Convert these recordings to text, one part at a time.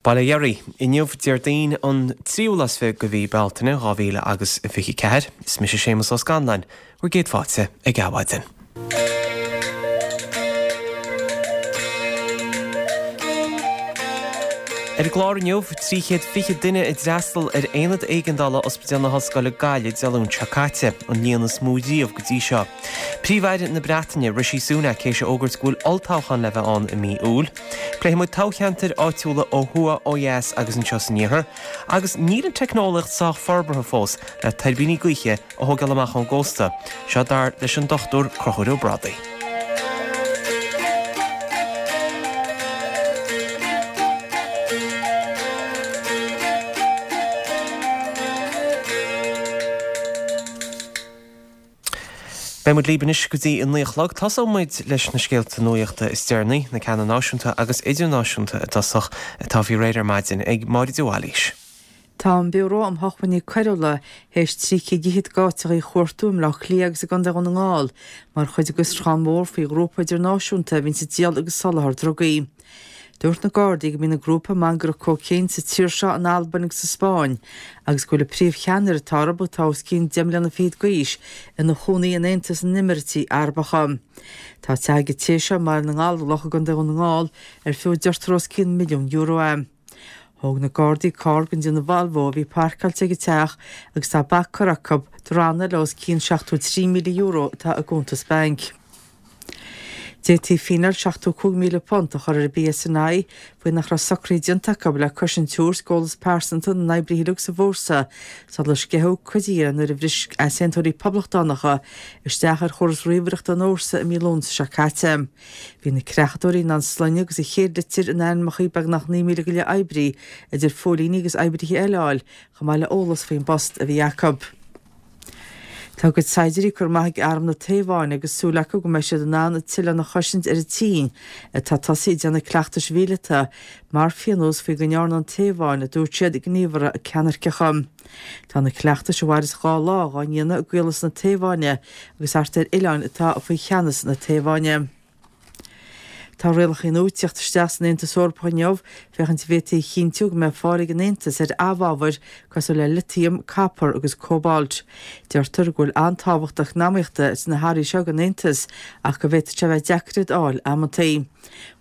Bail ó Dhia oraibh. Inniu, Déardaoin an tríú lá is fiche de mhí Bealtaine 2000 agus 24. Is mise Séamus Ó Scanláin, bhur gcéad fáilte ag Adhmhaidin. Ar an gclár inniu, 320 duine a d'fhreastal ar Aonad Éigeandála Ospidéal na hOllscoile Gaillimh Dé Luain seo caite, an líon is mó riamh go dtí seo. Príomh-Aire na Breataine, Rishi Sunak, théis a fhógairt go bhfuil olltoghchán le bheith ann i mí Iúil. Pléifidh muid toghcheantair áitiúla ó thuaidh, ó dheas agus anseo san iarthar, agus níl an teicneolaíocht sách forbartha fós le tuirbíní gaoithe a thógáil amach ón gcósta, seo dar leis an Dr Conchúr Ó Brádaigh. Beidh muid libh anois go dtí a 9 a chlog. Tosóidh muid leis na scéalta nuachta is deireanaí, na ceanna náisiúnta agus idirnáisiúnta i dtosach, atá faoi réir ar maidin ag Máire de Bhailís. Tá an Biúró um Shócmhainní Coiriúla théis 300 d'fhichead d'áiteachaí a chuartú i mBleá Cliath agus i gContae Dhún na nGall mar chuid de fhiosrúchán mór faoi ghrúpa idirnáisiúnta a bhíonns ag díol agus soláthar drugaí. Dúirt na Gardaí go mbíonn an grúpa ag mangaireacht cóicéin sa tír seo, in Albain agus sa Spáinn agus go bhfuil an príomhcheannaire atá orthu, atá os cionn deich mbliana fichead d'aois, ina chónaí in Aontas na nÉimíríochtaí Arabacha. Tá teach ag an té seo i mBaile na nGallóglach i gContae Dhún na nGall ar fiú a deirtear os cionn €1,000,000 é. Thóg na Gardaí carr den déanamh Volvo a bhí páirceáilte ag an teach agus tá bac curtha acu do ranna le os cionn €73,000 atá i gcuntas bainc. D'fhéadfaí fíneáil £75,000 a chur ar an bPSNI faoi nach raibh socruithe déanta acu le cosaint a thabhairt d'eolas pearsanta na n-oibrithe uilig sa bhfórsa sular sceitheadh cuid dhe nuair a bhris easaontóirí poblachtánacha isteach ar chóras ríomhaireachta an fhórsa i mí Lúnasa seo caite. Bhí na creachadóirí in ann sloinne agus an chéad litir in ainmneacha beagnach 9,000 go leith oibrí, idir phóilíní agus oibrithe eile a fháil, chomh maith le eolas faoin bpost a bhí acu. Tá a gcuid saighdiúirí curtha amach ag arm na Téaváine agus súil acu go mbeidh siad in ann an t-oileán a chosaint ar an tSín, atá tosaithe ag déanamh cleachtais mhíleata mar phionós faoi go ndearna an Téaváin, a dúirt siad, gníomhartha ceannairceacha. Tá na cleachtais, a mhairfeas dhá lá, dhá ndéanamh i gcaolas na Téaváine agus thart ar oileáin atá faoi cheannas na Téaváine. Tá rialacha nua ag tíocht isteach san Aontas Eorpach inniu féachaint an bhféadfaí a chinntiú go mbeidh fáil ag an Aontas ar amhábhair cosúil le litiam, copar agus cóbalt. Deirtear go bhfuil an-tábhacht eacnamaíochta sna hearraí seo don Aontas ach go bhféadfadh sé a bheith deacair iad a fháil amantaí.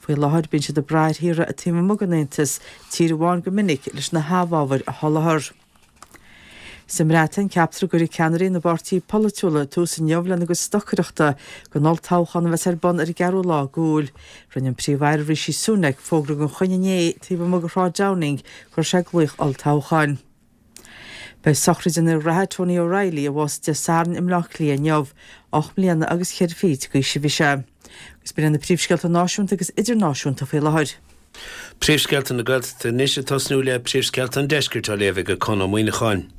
Faoi láthair bíonn siad ag brath ar thíortha taobh amuigh den Aontas, tír amháin go minic, leis na hamhábhair a sholáthar. Sa mBreatain, ceaptar go gcuirfidh ceannairí na bpáirtithe polaitiúla tús inniu lena gcuid stocaireachta don olltoghchán a bheas ar bun ar an gceathrú lá d'Iúil. Rinne an Príomh-Aire Rishi Sunak fógra den choinne inné taobh amuigh de Shráid Downing go raibh sé ag glaoch olltoghcháin. Beidh sochraid an fhir reatha Tony O'Reilly, a bhásaigh Dé Sathairn i mBleá Cliath inniu. 8 mbliana agus cheithre fichid d'aois a bhí sé. Agus b'in iad na príomhscéalta náisiúnta agus idirnáisiúnta faoi láthair. Príomhscéalta na Gaeltachta anois ag tosnú le Príomhscéalta an Deiscirt á léamh ag Conn Ó Muíneacháin.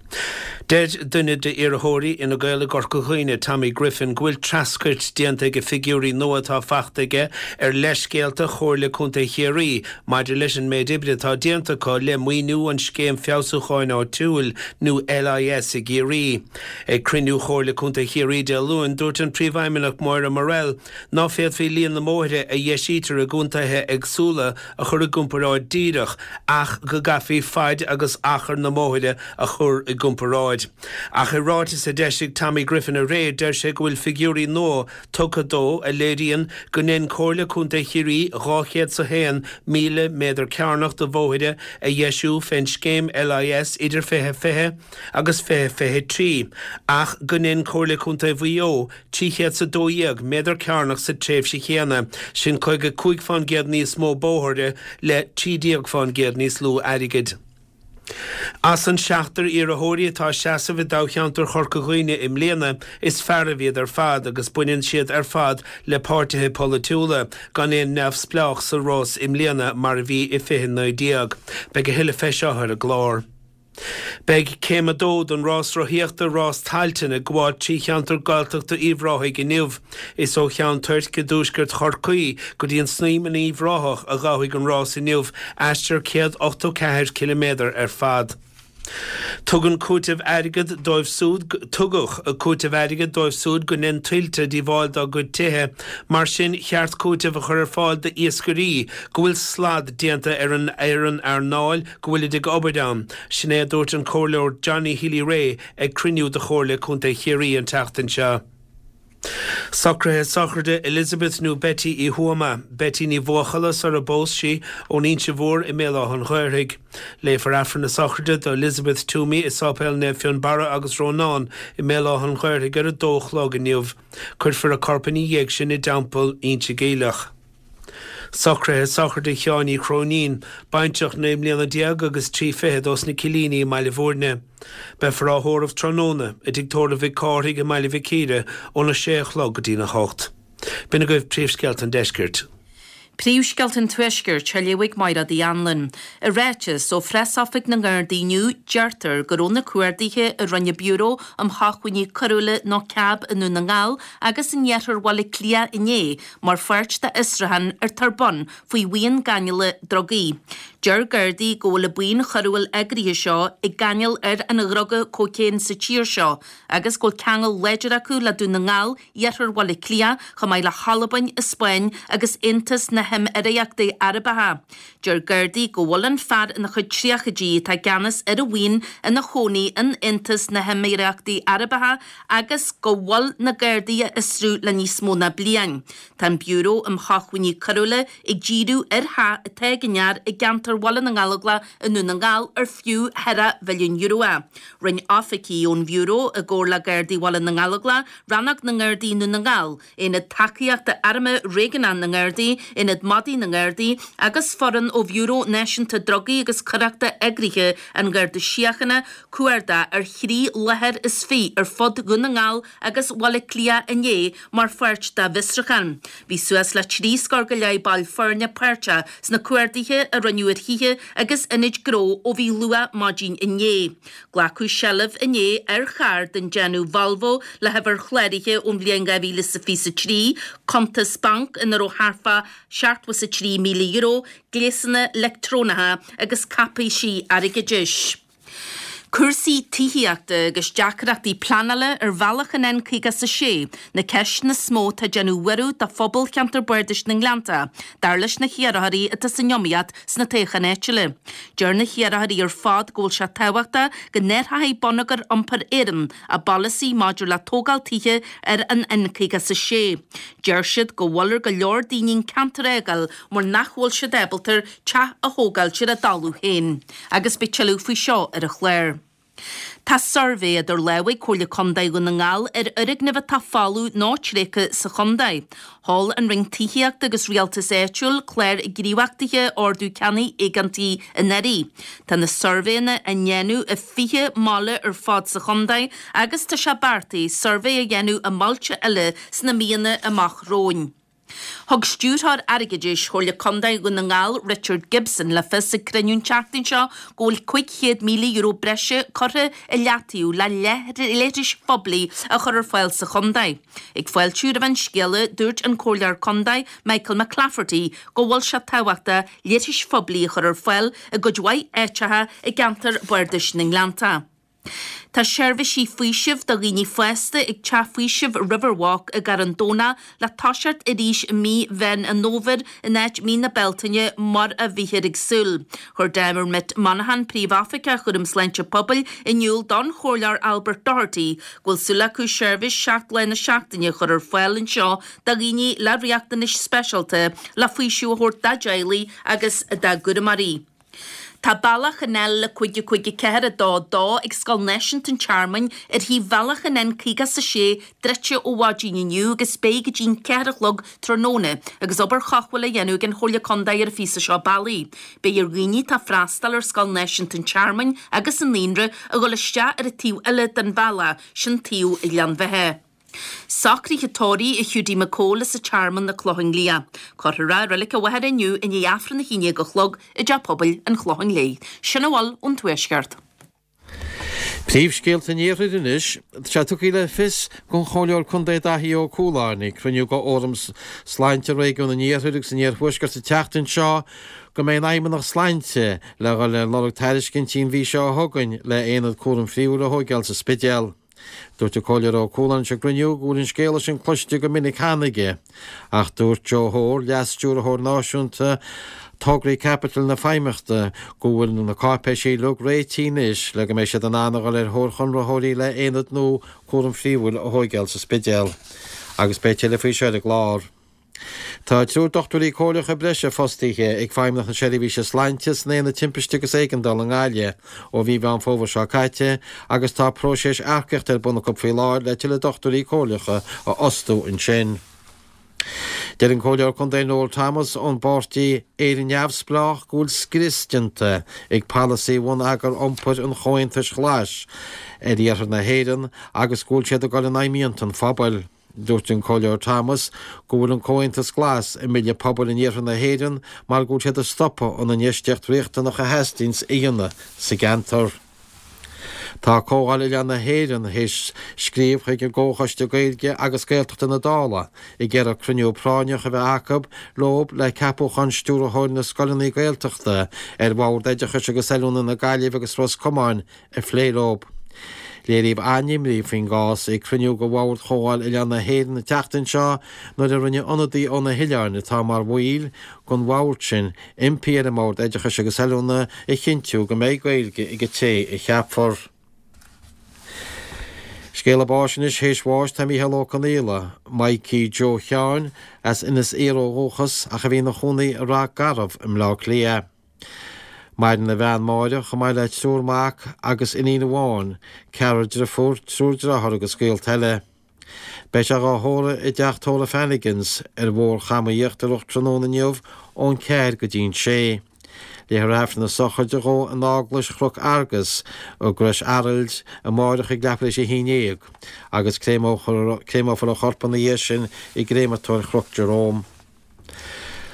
Deir duine d'iarrthóirí Fhine Gael i gCorca Dhuibhne, Tommy Griffin, go bhfuil treascairt déanta ag figiúirí nua atá fachta aige ar leithscéalta Chomhairle Contae Chiarraí maidir leis an méid oibre atá déanta acu le maoiniú an Scéim Feabhsúcháin Áitiúil nó LIS i gCiarraí. Ag cruinniú Chomhairle Contae Chiarraí Dé Luain, dúirt an Príomhfheidhmeannach Moira Murrell ná féadfaí líon na mbóithre a dheisítear i gcontaetha éagsúla a chur i gcomparáid díreach ach go gcaithfí faid agus achar na mbóithre a chur i gcomparáid. Ach i ráiteas a d'eisigh Tommy Griffin aréir deir sé go bhfuil figiúirí nua tugtha dó a léiríonn go ndein Comhairle Contae Chiarraí 201,000 méadar cearnach de bhóithre a dheisiú fén scéim LIS idir 2020 agus 2023 ach go ndein Comhairle Contae Mhaigh Eo 312 méadar cearnach sa tréimhse chéanna, sin 55 fán gcéad níos mó bóithre le 13 fán gcéad níos lú airgid. As an seachtar iarrthóirí atá ag seasamh i dtoghcheantar Chorca Dhuibhne i mbliana, is fearaibh iad ar fad agus baineann siad ar fad le páirtithe polaitiúla, gan aon neamhspleách sa rás i mbliana mar a bhí i 2019. Beidh a thuilleadh fé seo ar an gclár. Beidh Céim 2 den rás rothaíochta Rás Tailteann ag gabháil trí cheantar Gaeltachta Uíbh Ráthaigh inniu. Is ó Cheann Toirc i dtuaisceart Chorcaí go dtí an Snaidhm in Uíbh Ráthach a ghabhfaidh an rás inniu, aistear 184 ciliméadar ar fad. Tugann cúiteamh airgid dóibh súd Tugadh cúiteamh airgid dóibh súd go ndein tuilte díobháil dá gcuid tithe, mar sin cheart cúiteamh a chur ar fáil d'iascairí go bhfuil slad déanta ar an ar an earnáil go bhfuilid ag obair ann. Sin é a dúirt an Comhairleoir Johnny Healy-Rae ag cruinniú de Chomhairle Contae Chiarraí an tseachtain seo. Socruithe sochraide Elizabeth nó Betty Uí Thuama, Betty Ní Bhuachalla sar a bpós sí, ón Inse Mhór i mBéal Átha an Ghaorthaidh. Léifear Aifreann na sochraide do Elizabeth Toomey i Sáipéal Naomh Fionnbarra agus Rónán i mBéal Átha an Ghaorthaidh ar a dó a chlog inniu. Cuirfear a corp ina dhiaidh sin i dTeampall Inse Geimhleach. Socruithe sochraide Sheáin Uí Chróinín, baintreach 19 mbliana agus 3 fichead ós na Cillíní i mBaile Bhúirne. Beifear á thórramh tráthnóna i dTigh Tórraimh Mhic Cárthaigh i mBaile Mhic Íre óna sé a chlog go dtína hocht. B'in agaibh príomhscéalta an deiscirt. Príomhscéalta an Tuaiscirt á léamh ag Máire Uí Anluain. I ráiteas ó Phreasoifig na nGardaí inniu, deirtear go raibh na cuarduithe a rinne Biúró um Shócmhainní Coiriúla nó cab i nDún na nGall agus in iarthar Bhaile Átha Cliath inné mar pháirt d'fhiosrúchán atá ar bun faoi bhuíon gáinneála drugaí. Deir Gardaí go bhfuil an bhuíon choiriúil eagraithe seo ag gáinneáil ar an dhruga cócaon sa tír seo agus go bhfuil ceangal láidir acu le Dún na nGall, iarthar Bhaile Átha Cliath, chomh maith le hAlbain, an Spáinn agus Aontas na hEimíríochtaí Arabacha. Deir Gardaí go bhfuil an fear ina chuid tríochaidí atá i gceannas ar an bhuíon ina chónaí in Aontas na hEimíríochtaí Arabacha agus go bhfuil na Gardaí á fhiosrú le níos mó ná bliain. Tá an Biúró um Shócmhainní Coiriúla ag díriú ar theach atá ag an fhear i gceantar Bhaile na nGallóglach i nDún na nGall ar fiú €4 mhilliún é. Rinne oifigigh ón Bhiúró, i gcomhar le Gardaí Bhaile na nGallóglach, Rannóg na nGardaí i nDún na nGall, Aonad Tacaíochta Airm Réigiúnach na nGardaí, Aonad Madaí na nGardaí agus foireann ó Bhiúró Náisiúnta Drugaí agus Coireachta Eagraithe an Gharda Síochána, cuardach ar thrí láthair is fiche ar fud Dhún na nGall agus Bhaile Átha Cliath inné mar pháirt dá bhfiosrúchán. Bhí suas le trí scór go leith ball foirne páirteach sna cuarduithe a rinneadh ar thithe agus ionaid gnó ó bhí luath maidin inné. Glacadh seilbh inné ar charr den déanamh Volvo le huimhir chláraithe ón bhliain 2023, cuntas bainc ina raibh thart fá €73,000, gléasanna leictreonacha agus cáipéisí airgeadais. Cúrsaí tithíochta agus deacrachtaí pleanála ar bhealach an N56 na ceisteanna is mó atá ag déanamh buaireamh do phobal cheantar Bardais na nGleannta, dar leis na hiarrthóirí atá san iomaíocht sna toghcháin áitiúla. Deir na hiarrthóirí ar fad go bhfuil sé tábhachtach go n-athróidh Bonneagar Iompair Éireann a bpolasaí maidir le tógáil tithe ar an N56. Deir siad go bhfuil ar go leor daoine an ceantar a fhágáil mar nach bhfuil siad ábalta teach a thógáilt ar a dtalamh féin. Agus beidh tuilleadh faoi seo ar an chlár. Tá suirbhé idir lámha ag Comhairle Contae Dhún na nGall ar fhoirgnimh atá folamh nó tréigthe sa chontae. Sheol an Roinn Tithíochta agus Rialtais Áitiúil clár gníomhachtaithe Ordú Ceannaigh Éigeantaigh anuraidh. Tá na suirbhéanna á ndéanamh i 20 mbaile ar fad sa chontae agus tá sé beartaithe suirbhé a dhéanamh i mbailte eile sna míonna amach romhainn. Thug Stiúrthóir Airgeadais Chomhairle Contae Dhún na nGall, Richard Gibson, le fios ag cruinniú an tseachtain seo go bhfuil €500,000 breise curtha i leataobh le leithris phoiblí a chur ar fáil sa chontae. Ag fáiltiú roimh an scéala, dúirt an Comhairleoir Contae Michael McClafferty go bhfuil sé tábhachtach leithris phoiblí a chur ar fáil i gcuid mhaith áiteacha i gceantar Bardais na nGleannta. Tá seirbhísí faoisimh do dhaoine fásta ag Teach Faoisimh Riverwalk i gCarn Domhnach le toiseacht arís i mí Mheán an Fhómhair in áit mí na Bealtaine mar a bhíthear ag súil. Chuir Dermot Monaghan, Príomhoifigeach Chúram Sláinte Pobail, in iúl don Chomhairleoir Albert Doherty go bhfuil súil acu seirbhís 7 lá na seachtaine a chur ar fáil anseo do dhaoine le riachtanais speisialta le faoiseamh a thabhairt dá dteaghlaigh agus dá gcúramóirí. Tá bealach an L554 2 2 ag Scoil Náisiúnta an Tearmainn ar thaobh bhealach an N56 druidte ó mhaidin inniu agus beidh go dtí'n 4 a chlog tráthnóna agus obair chothabhála á dhéanamh ag an Chomhairle Contae ar an phíosa seo bealaigh. Beidh ar dhaoine atá ag freastal ar Scoil Náisiúnta an Tearmainn agus an Naíonra a dhul isteach ar an taobh eile den bhealach, sin taobh Ghleann Bheatha. Socruithe tórraimh Hiúdaí Mac Cóil as an Tearmann, na Clocháin Liath. Cuirfear é i reilig an Mhachaire inniu i ndiaidh Aifreann 11 a chlog i dTeach Pobail an Chlocháin Léith. Sin a bhfuil ón Tuaisceart. Príomhscéalta an Iarthair anois. Tá sé tugtha le fios don Chomhairleoir Contae Daithí Ó Cualáin ag cruinniú de Fhóram Sláinte Réigiún an Iarthair agus an Iarthuaiscirt an tseachtain seo. go mbeidh an Fheidhmeannacht Sláinte le dhul ar lorg tairiscintí an mhí seo chugainn le aonad cúraim phríomhúil a thóigeáil sa Spidéal. Dúirt an Comhairleoir Ó Cualáin ag an gcruinniú go bhfuil an scéala sin cloiste go minic cheana aige. Ach dúirt Joe Hoare, Leas-Stiúrthóir Náisiúnta Tograí Caipitil na Feidhmeannachta, go bhfuil na cáipéisí uilig réitithe anois le go mbeidh siad in ann a dhul ar thóir chonraitheoirí le aonad nua cúraim phríomhúil a thóigeáil sa Spidéal. Agus beidh tuilleadh faoi seo ar an gclár. Tá triúr dochtúirí comhairleacha breise fostaithe ag Feidhmeannacht na Seirbhíse Sláinte san Aonad Timpiste agus Éigeandála i nGaillimh ó mhí Mheán Fómhair seo caite agus tá próiseas earcaíochta ar bun acu faoi láthair le tuilleadh dochtúirí comhairleacha a fhostú ansin. Deir an Comhairleoir Contae Noel Thomas ón bpáirtí Éire Neamhspleách go bhfuil scrios déanta ag polasaí bhonneagar iompair an Chomhaontais Ghlais ar iarthar na hÉireann agus go bhfuil siad ag dul in aghaidh mianta an phobail. Dúirt an Comhairleoir Thomas go bhfuil an Comhaontas Glas ag milleadh pobail in iarthar na hÉireann mar go bhfuil siad ag stopadh an infheistíocht riachtanach a theastaíonns a dhéanamh sa gceantar. Tá Comhdháil Oileáin na hÉireann théis scríobh chuig an gComhchoiste Gaeilge agus Gaeltachta na Dála ag iarraidh cruinniú práinneach a bheith acu leo le ceapúchán Stiúrthóir na Scoileanna Gaeltachta ar Bhord Oideachais agus Oiliúna na Gaillimhe agus Ros Comáin a phlé leo. Léiríodh an-imní faoin gcás ag cruinniú de Bhord Chomhdháil Oileáin na hÉireann an tseachtain seo nuair a rinne ionadaí ó na hoileáin atá mar bhaill den bhord sin impí ar an mBord Oideachais agus Oiliúna a chinntiú go mbeidh Gaeilge ag an té a cheapfar. Scéala báis anois théis bháis tá Mícheál Ó Conaola, Mikey Joe Sheáin, as Inis Oírr ó dhúchas ach a bhí ina chónaí i Ráth Garbh i mBleá Cliath. Maireann a bhean Máire, chomh maith le triúr mac agus iníon amháin, ceathrar driofúr, triúr deartháir agus gaolta eile. Beidh sé dhá thórramh i dteach tórraimh Flanagan's ar Bhóthar Chama Íochtarach tráthnóna inniu ón ceathair go dtí'n sé. Léifear Aifreann na sochraide dhó in Eaglais Chnoc Argus i gCrois Araild amáireach ag leathuair théis a haon dhéag agus créamófar a chorp ina dhiaidh sin i gcréamatóir Chnoc Jerome.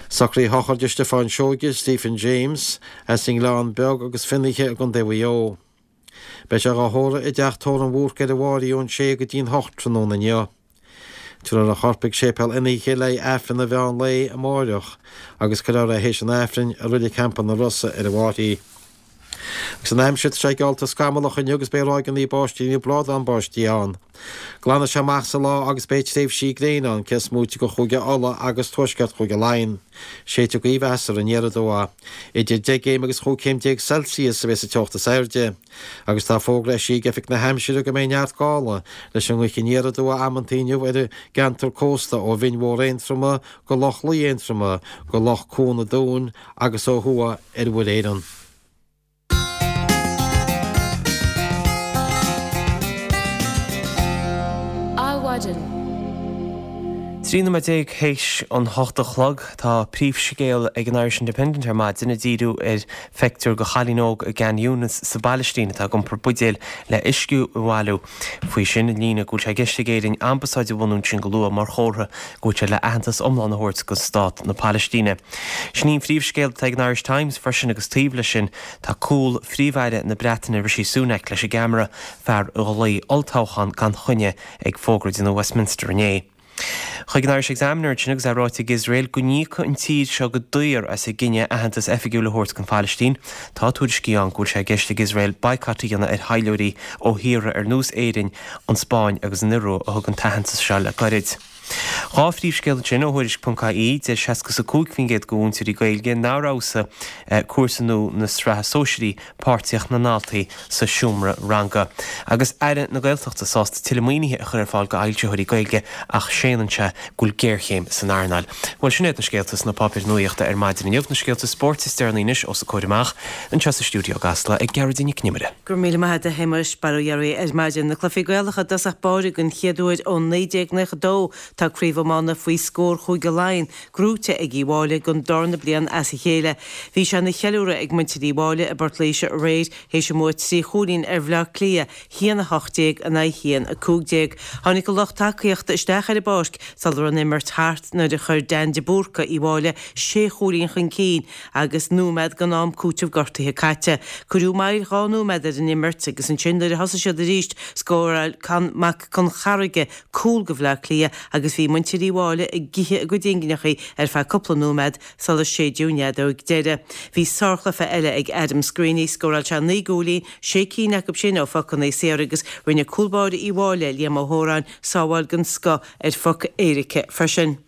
Socruithe sochraide Stiofán Seoige, Stephen James, as an nGleann Beag agus Fionnaithe i gContae Mhaigh Eo. Beidh sé dhá thórramh i dteach tórraimh an Bhúrcaigh ar an bhFáirí ón sé go dtí'n hocht tráthnóna inniu. Tabharfar a chorp chuig Séipéal Fhionnaithe le haghaidh Aifreann an mheán lae amáireach agus cuirfear é théis an Aifrinn i Reilig Champa na Rosa ar an bhFáirí. Agus an aimsir, tá sé geallta scamallach inniu agus beidh ráigeanna báistí nó bládán báistí ann. Glanfaidh sé amach sa lá agus beidh tréimhsí gréine ann, cé is móite de Chúige Uladh agus tuaisceart Chúige Laighean. Séidfidh gaoth mheasartha aniar aduaidh. Idir 10 gcéim agus 15 céim Celsius a bheas an teocht is airde. Agus tá fógra eisithe ag Oifig na hAimsire go mbeidh neart gála leis an ngaoth aniar aduaidh amantaí inniu ar an gceantar cósta ó Bhinn Mhór Aontroma go Loch Lao Aontroma go Loch Cuan an Dúin agus ó thuaidh ar Mhuir Éireann. Adhmhaidin. 13 nóiméad théis an hocht a chlog. Tá príomhscéal ag an Irish Independent ar maidin ag díriú ar phictiúr de chailín óg i gKhan Younis sa bPailistín atá ag iompar buidéil le uisce a bhailiú. Faoi sin, an líne go bhfuil sé i gceist ag Éirinn ambasáid a bhunú ansin go luath mar chomhartha go bhfuil sé le aitheantas iomlán a thabhairt do stát na Pailistíne. Sin í an phríomhscéal atá ag an Irish Times freisin agus taobh leis sin tá cúl Phríomh-Aire na Breataine Rishi Sunak leis an gceamara, fear a ghlaoigh olltoghchán gan choinne ag fógra ag déanamh Westminster inné. Chuig an Irish Examiner ansin agus é ráite ag Iosrael go n-íocfaidh an tír seo go daor as a gcinneadh aitheantas oifigiúil a thabhairt don Phailistín. Tá tuairiscí ann go bhfuil sé i gceist ag Iosrael boycott a dhéanamh ar thaidhleoirí ó thíortha ar nós Éirinn, an Spáinn agus an Iorua a thug an t-aitheantas seo le gairid. Dhá phríomhscéal ansin ó Thuairisc.ie, deir 65% de mhúinteoirí Gaeilge nár fheabhsaigh cúrsa nua na Sraithe Sóisearaí páirtíocht na ndaltaí sa seomra ranga. Agus Aire na Gaeltachta sásta tuilleadh maoinithe a chur ar fáil d'fhoilsitheoirí Gaeilge ach séanann sé go bhfuil géarchéim san earnáil. Bhuel, sin iad na scéalta sna páipéir nuaíochta ar maidin inniu. Na scéalta spóirt is deireanaí anois os a comhair amach anseo sa stiúideo i gCasla ag Gearóidín Nic an Iomaire. Go raibh míle maith agat a Shéamais, bail ó Dhia oraibh ar maidin. Na cluichí Gaelacha i dtosach báire den chéad uair ó 1992 tá craobh iomána faoi scór Chúige Laighean gnóite ag Uíbh Fhailí don darna bliain as a chéile. Bhí sé ina cheiliúradh ag muintir Uíbh Fhailí i bPort Laoise aréir théis a mbua trí chúilín ar Bhleá Cliath, 1-18 in aghaidh 1-15. Tháinig an lucht tacaíochta isteach ar an bpáirc sula raibh an imirt thart nuair a chuir Dan de Búrca Uíbh Fhailí sé chúilín chun cinn agus nóiméad den am cúitimh gortaithe caite. Cuireadh moill dhá nóiméad ar an imirt agus ansin nuair a thosaigh siad arís scóráil Con Mac Con Charraige cúl do Bhleá Cliath agus bhí muintir. muintir Uíbh Fhailí ag ithe a gcuid ingineachaí ar feadh cúpla nóiméad sular séideadh an fheadóg deiridh. Bhí sárchluiche eile ag Adam Screeney, scóráil sé 9 gcúilín, sé cinn acu sin ó phocanna saora agus rinne cúl báire Uíbh Fhailí, Liam Ó hÓráin, sábháil den scoth ar phoc éirice freisin.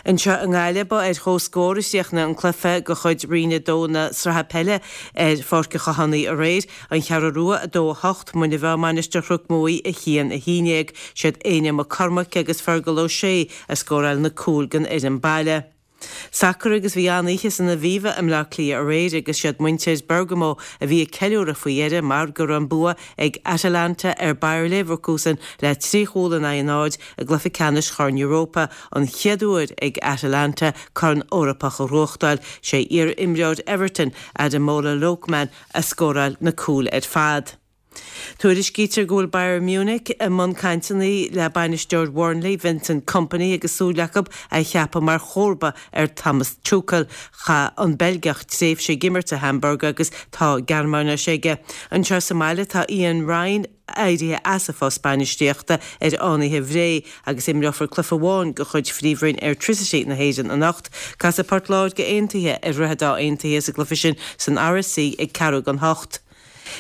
Anseo i nGaillimh, ba ar chomhscór a chríochnaigh an cluiche de chuid Roinn 2 na Sraithe Peile ar Pháirc an Chathánaigh aréir. An Cheathrú Rua 2, 8, Muine Mheá Mainistir Chnoc Muaidhe 1, 11. Siad Éanna Mac Cormaic agus Fergal Ó Sé a scóráil na cúil don fhoireann baile. Sacar agus bhí an-oíche san Aviva i mBleá Cliath aréir agus siad muintir Bergamo a bhí ag ceiliúradh faoi dheireadh mar go raibh an bua ag Atalanta ar Bayer Leverkusen le 3 chúl in aghaidh a náid i gcluiche ceannais Chorn Europa, an chéad uair ag Atalanta corn Eorpach a ghnóthachtáil. Sé iar-imreoir Everton, Ademola Lookman, a scóráil na cúil ar fad. Tuairiscítear go bhfuil Bayern Munich i mbun cainteanna le bainisteoir Bhurnley, Vincent Kompany agus súil acu é a cheapadh mar chomharba ar Thomas Tuchel. Chaith an Beilgeach tréimhse ag imirt do Hamburg agus tá Gearmáinis aige. Anseo sa mbaile tá Ian Ryan éirithe as a phost bainistíochta ar Fhánaithe Bhré agus imreofar cluiche amháin de chuid Phríomhroinn Airtricity na hÉireann anocht. Casfaidh Port Láirge Aontaithe ar Dhroichead Átha Aontaithe sa gcluiche sin san RSC ag ceathrú don hocht.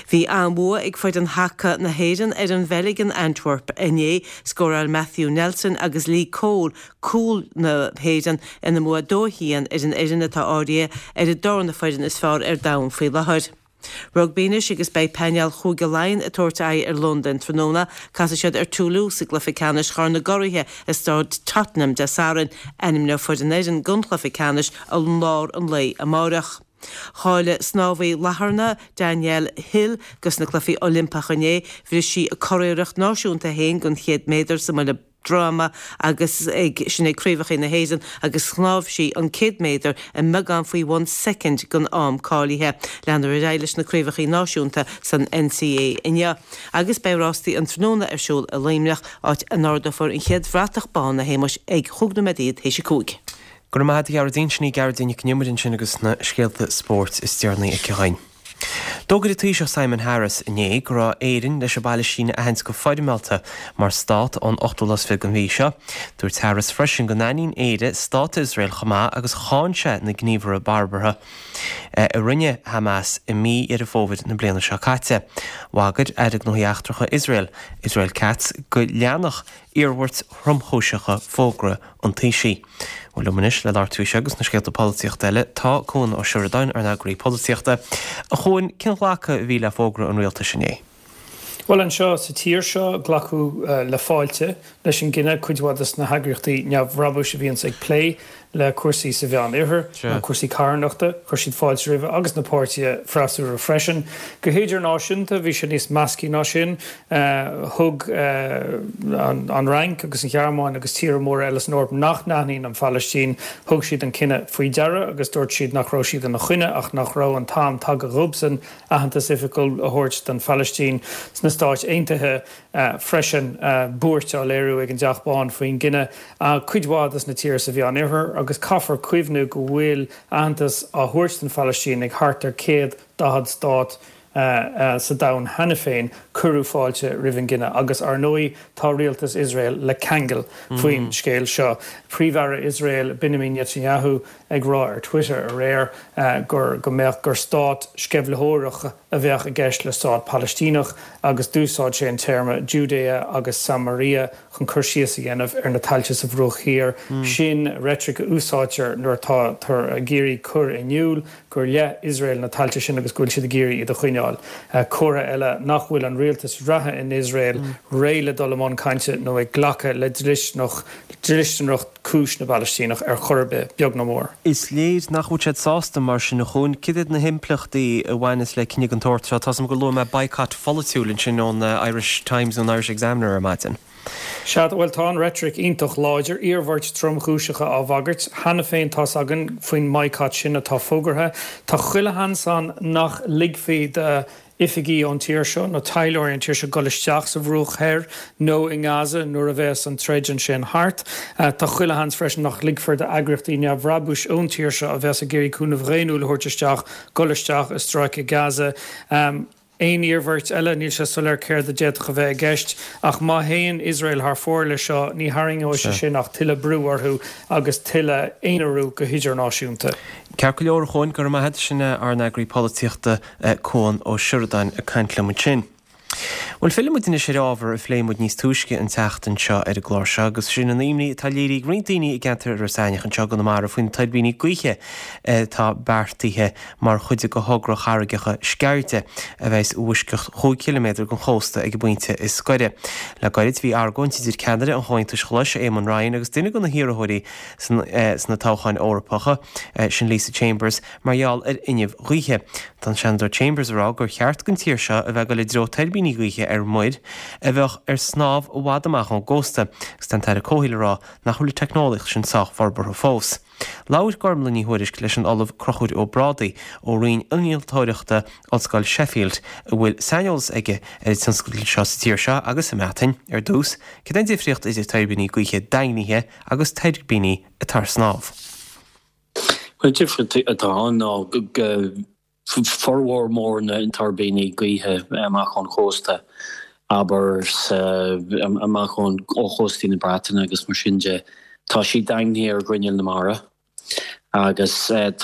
Bhí an-bhua ag foireann haca na hÉireann ar an Bheilg in Antwerp inné. Scóráil Matthew Nelson agus Lee Cole cúil na hÉireann ina mbua 2-1 ar an fhoireann atá áirithe ar an darna foireann is fearr ar domhan faoi láthair. Rugbaí anois agus beidh painéal Chúige Laighean ag tabhairt aghaidh ar Londain tráthnóna. Casfaidh siad ar Toulouse i gcluiche ceannais Chorn na gCuraithe i Staid Tottenham Dé Sathairn. Ainmneofar an fhoireann don chluiche ceannais i lár an lae amárach. Cháiligh snámhaí Latharna, Danielle Hill, dos na Cluichí Oilimpeacha inné. Bhris sí a curiarracht náisiúnta féin don chéad méadar sa mbuille droma agus ag sin ag Craobhacha na hÉireann agus shnámh sí an 100 méadar i mbeagán faoi bhun soicind den am cáilithe. Leanfar ar aghaidh leis na Craobhacha Náisiúnta san NCAA inniu agus beidh rástaí an tráthnóna ar siúl i Luimneach, áit a n-ardófar an chéad bhratach bán, a Shéamuis, ag chúig nóiméad théis a cúig. Go raibh maith agat a Ghearóidín, sin í Gearóidín Nic an Iomaire ansin agus na scéalta spóirt is deireanaí aici dhuinn. D'fhógair an Taoiseach Simon Harris inné go raibh Éirinn leis an bPailistín a aithint go foirmeálta mar stát ón ochtú lá is fiche den mhí seo. Dúirt Harris freisin go n-aithníonn Éire stát Iosrael chomh maith agus cháin sé na gníomhartha barbartha a rinne Hamas i mí Dheireadh Fómhair na bliana seo caite. Bhagair Aire Gnóthaí Eachtracha Iosrael, Israel Katz, go leanfadh iarmhairt thromchúiseacha fógra an Taoisigh. Bhuel, liom anois le labhairt faoi seo agus na scéalta polaitíochta eile tá Cuan Ó Seireadáin, ár n-eagraí polaitíochta. A Chuain, cén ghlacadh a bhí le fógra an rialtais inné? Bhuel, anseo sa tír seo, glacadh le fáilte leis an gcinneadh. Cuid mhaith de na heagraíochtaí neamhbhrabúis a bhíonns ag plé le cúrsaí sa Mheán Oirthear, nó cúrsaí carthanachta, chuir siad fáilte roimhe, agus na páirtithe freasúra freisin. Go hidirnáisiúnta, bhí sé níos measctha ná sin. Thug an Fhrainc agus an Ghearmáin agus tíortha móra eile san Eoraip nach n-aithníonn an Phalaistín, thug siad an cinneadh faoi deara agus dúirt siad nach raibh siad ina choinne ach nach raibh an t-am tagtha dhóibhsean aitheantas oifigiúil a thabhairt don Phalaistín. Sna Stáit Aontaithe freisin, buairt á léiriú ag an dTeach Bán faoin gcinneadh. Cuid mhaith de na tíortha sa Mheán Oirthear agus caithfear cuimhniú go bhfuil aitheantas á thabhairt don Phalaistín ag thart ar 140 stát sa domhan cheana féin, cuireadh fáilte roimh an gcinneadh agus, ar ndóigh, tá rialtas Iosrael le ceangal faoin scéal seo. Príomh-Aire Iosrael, Binyamin Netanyahu, ag rá ar Twitter aréir gur go mbeadh gur stát sceimhlitheoireach a bheadh i gceist le stát Palaistíneach agus d'úsáid sé an téarma Judea agus Samaria chun cur síos a dhéanamh ar na tailte sa Bhruach Thiar. Sin reitric a úsáidtear nuair atáthar ag iarraidh cur in iúl gur le Iosrael na tailte sin agus go bhfuil siad ag iarraidh iad a choinneáil. Comhartha eile nach bhfuil an rialtas reatha in Iosrael réidh le dul i mbun cainte nó ag glacadh le dlisteanacht cúis na bPalaistíneach ar chor ar bith, beag ná mór. Is léir nach bhfuil siad sásta mar sin, a Chuain. Cad iad na himpleachtaí a bhaineas le cinneadh den tsórt seo? Tá's agam gur luaigh mé boycott pholaitiúil ansin ón Irish Times nó an Irish Examiner ar maidin. Sea, bhuel, tá an reitric iontach láidir, iarmhairt tromchúiseacha á bhagairt. Cheana féin tá's againn faoin mbaghcat sin atá fógartha. Tá chuile sheans ann nach ligfí d'oifigí ón tír seo nó taidhleoirí ón tír seo dul isteach sa Bhruach Thoir nó i nGaza nuair a bheas an troid ansin thart. Tá chuile sheans freisin nach ligfear d'eagraíochtaí neamhbhrabúis ón tír seo a bheas ag iarraidh cúnamh dhaonnúil a thabhairt isteach dul isteach i Stráice Gaza. Aon iarmhairt eile, níl sé soiléir céard a d'fhéadfadh a bheith i gceist, ach má théann Iosrael thar fóir leis seo, ní tharraingeoidh sé sin ach tuilleadh brú orthu agus tuilleadh aonarú go hidirnáisiúnta. Ceart go leor, a Chuain, go raibh maith agat. Sin ár n-eagraí polaitíochta, Cuan Ó Seireadáin, ag caint liom ansin. Bhuel, fillfidh muid anois ar ábhar a phléigh muid níos túisce an tseachtain seo ar an gclár seo, agus sin an imní atá léirithe ag roinnt daoine i gceantar Iorras Aithneach anseo i gConamara faoi na tuirbíní gaoithe atá beartaithe mar chuid de thogra Charraigeacha Sceirde, a bheas i bhfoisceacht chúig chiliméadar den chósta ag an bpointe is gaire. Le gairid bhí argóint idir ceannaire an Chomhaontais Ghlais, Éamon Ryan, agus duine de na hiarrthóirí sna toghcháin Eorpacha, sin Lisa Chambers, mar gheall ar fhuinneamh gaoithe. Tá an Seanadóir Chambers ag rá gur cheart don tír seo a bheith ag dul i dtreo tuirbíní gaoithe ar muir a bheadh ar snámh i bhfad amach ón gcósta agus tá an tAire Comhshaoil ag rá nach bhfuil an teicneolaíocht sin sách forbartha fós. Labhair Gormlaith Ní Thuairisg leis an Ollamh Conchúr Ó Brádaigh ó Roinn Innealtóireachta Ollscoil Sheffield a bhfuil saineolas aige ar an tionscadal seo sa tír seo agus sa mBreatain. Ar dtús, cad é an difríocht idir tuirbíní gaoithe daingnithe agus tuirbíní atá ar snámh? An difríocht atá ann ná go formhór mór na dtuirbíní gaoithe amach ón chósta, abair amach ó chóstaí na Breataine agus mar sin de, tá siad daingnithe ar ghrinneall na mara. Agus tá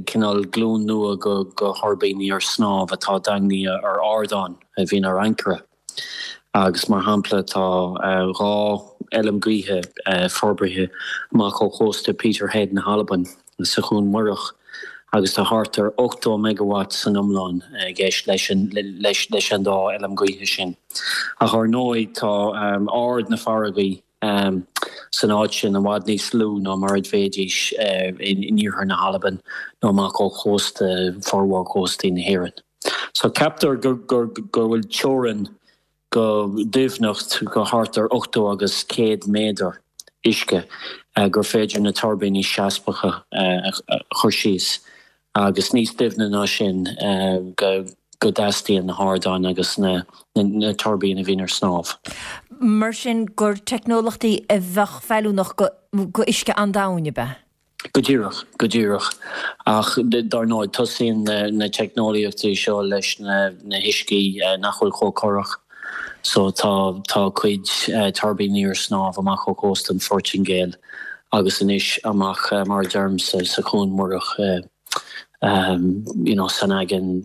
cineál glúin nua de thuirbíní ar snámh atá daingnithe ar ardáin a bhíonn ar ancaire. Agus mar shampla tá 2 fheilm gaoithe forbartha amach ó chósta Peterhead na hAlban sa Chuan Mhuireach agus tá thart ar 80 megawatt san iomlán i gceist leis leis an dá fheilm gaoithe sin. Ach ar ndóigh tá ard na farraige san áit sin i bhfad níos lú ná mar a bheidís in iarthar na hAlban nó amach ó chósta formhór chóstaí na hÉireann. So ceaptar go bhfuil teorainn go doimhneacht go thart ar 80 agus 100 méadar uisce gur féidir na tuirbíní seasmhacha a chur síos agus níos doimhne ná sin go dteastaíonn na hardáin agus na tuirbíní a bhíonn ar snámh. Mar sin gur teicneolaíochtaí a bheadh feiliúnach go uisce an-domhain, ab ea? Go díreach, go díreach. Ach dar ndóigh, tosaíonn na teicneolaíochtaí seo leis na huiscí nach bhfuil chomh corrach. So tá tá cuid tuirbíní ar snámh amach ó chósta an Phortaingéil agus anois amach mar a deirim sa sa Chuan Mhuireach you know san aigéan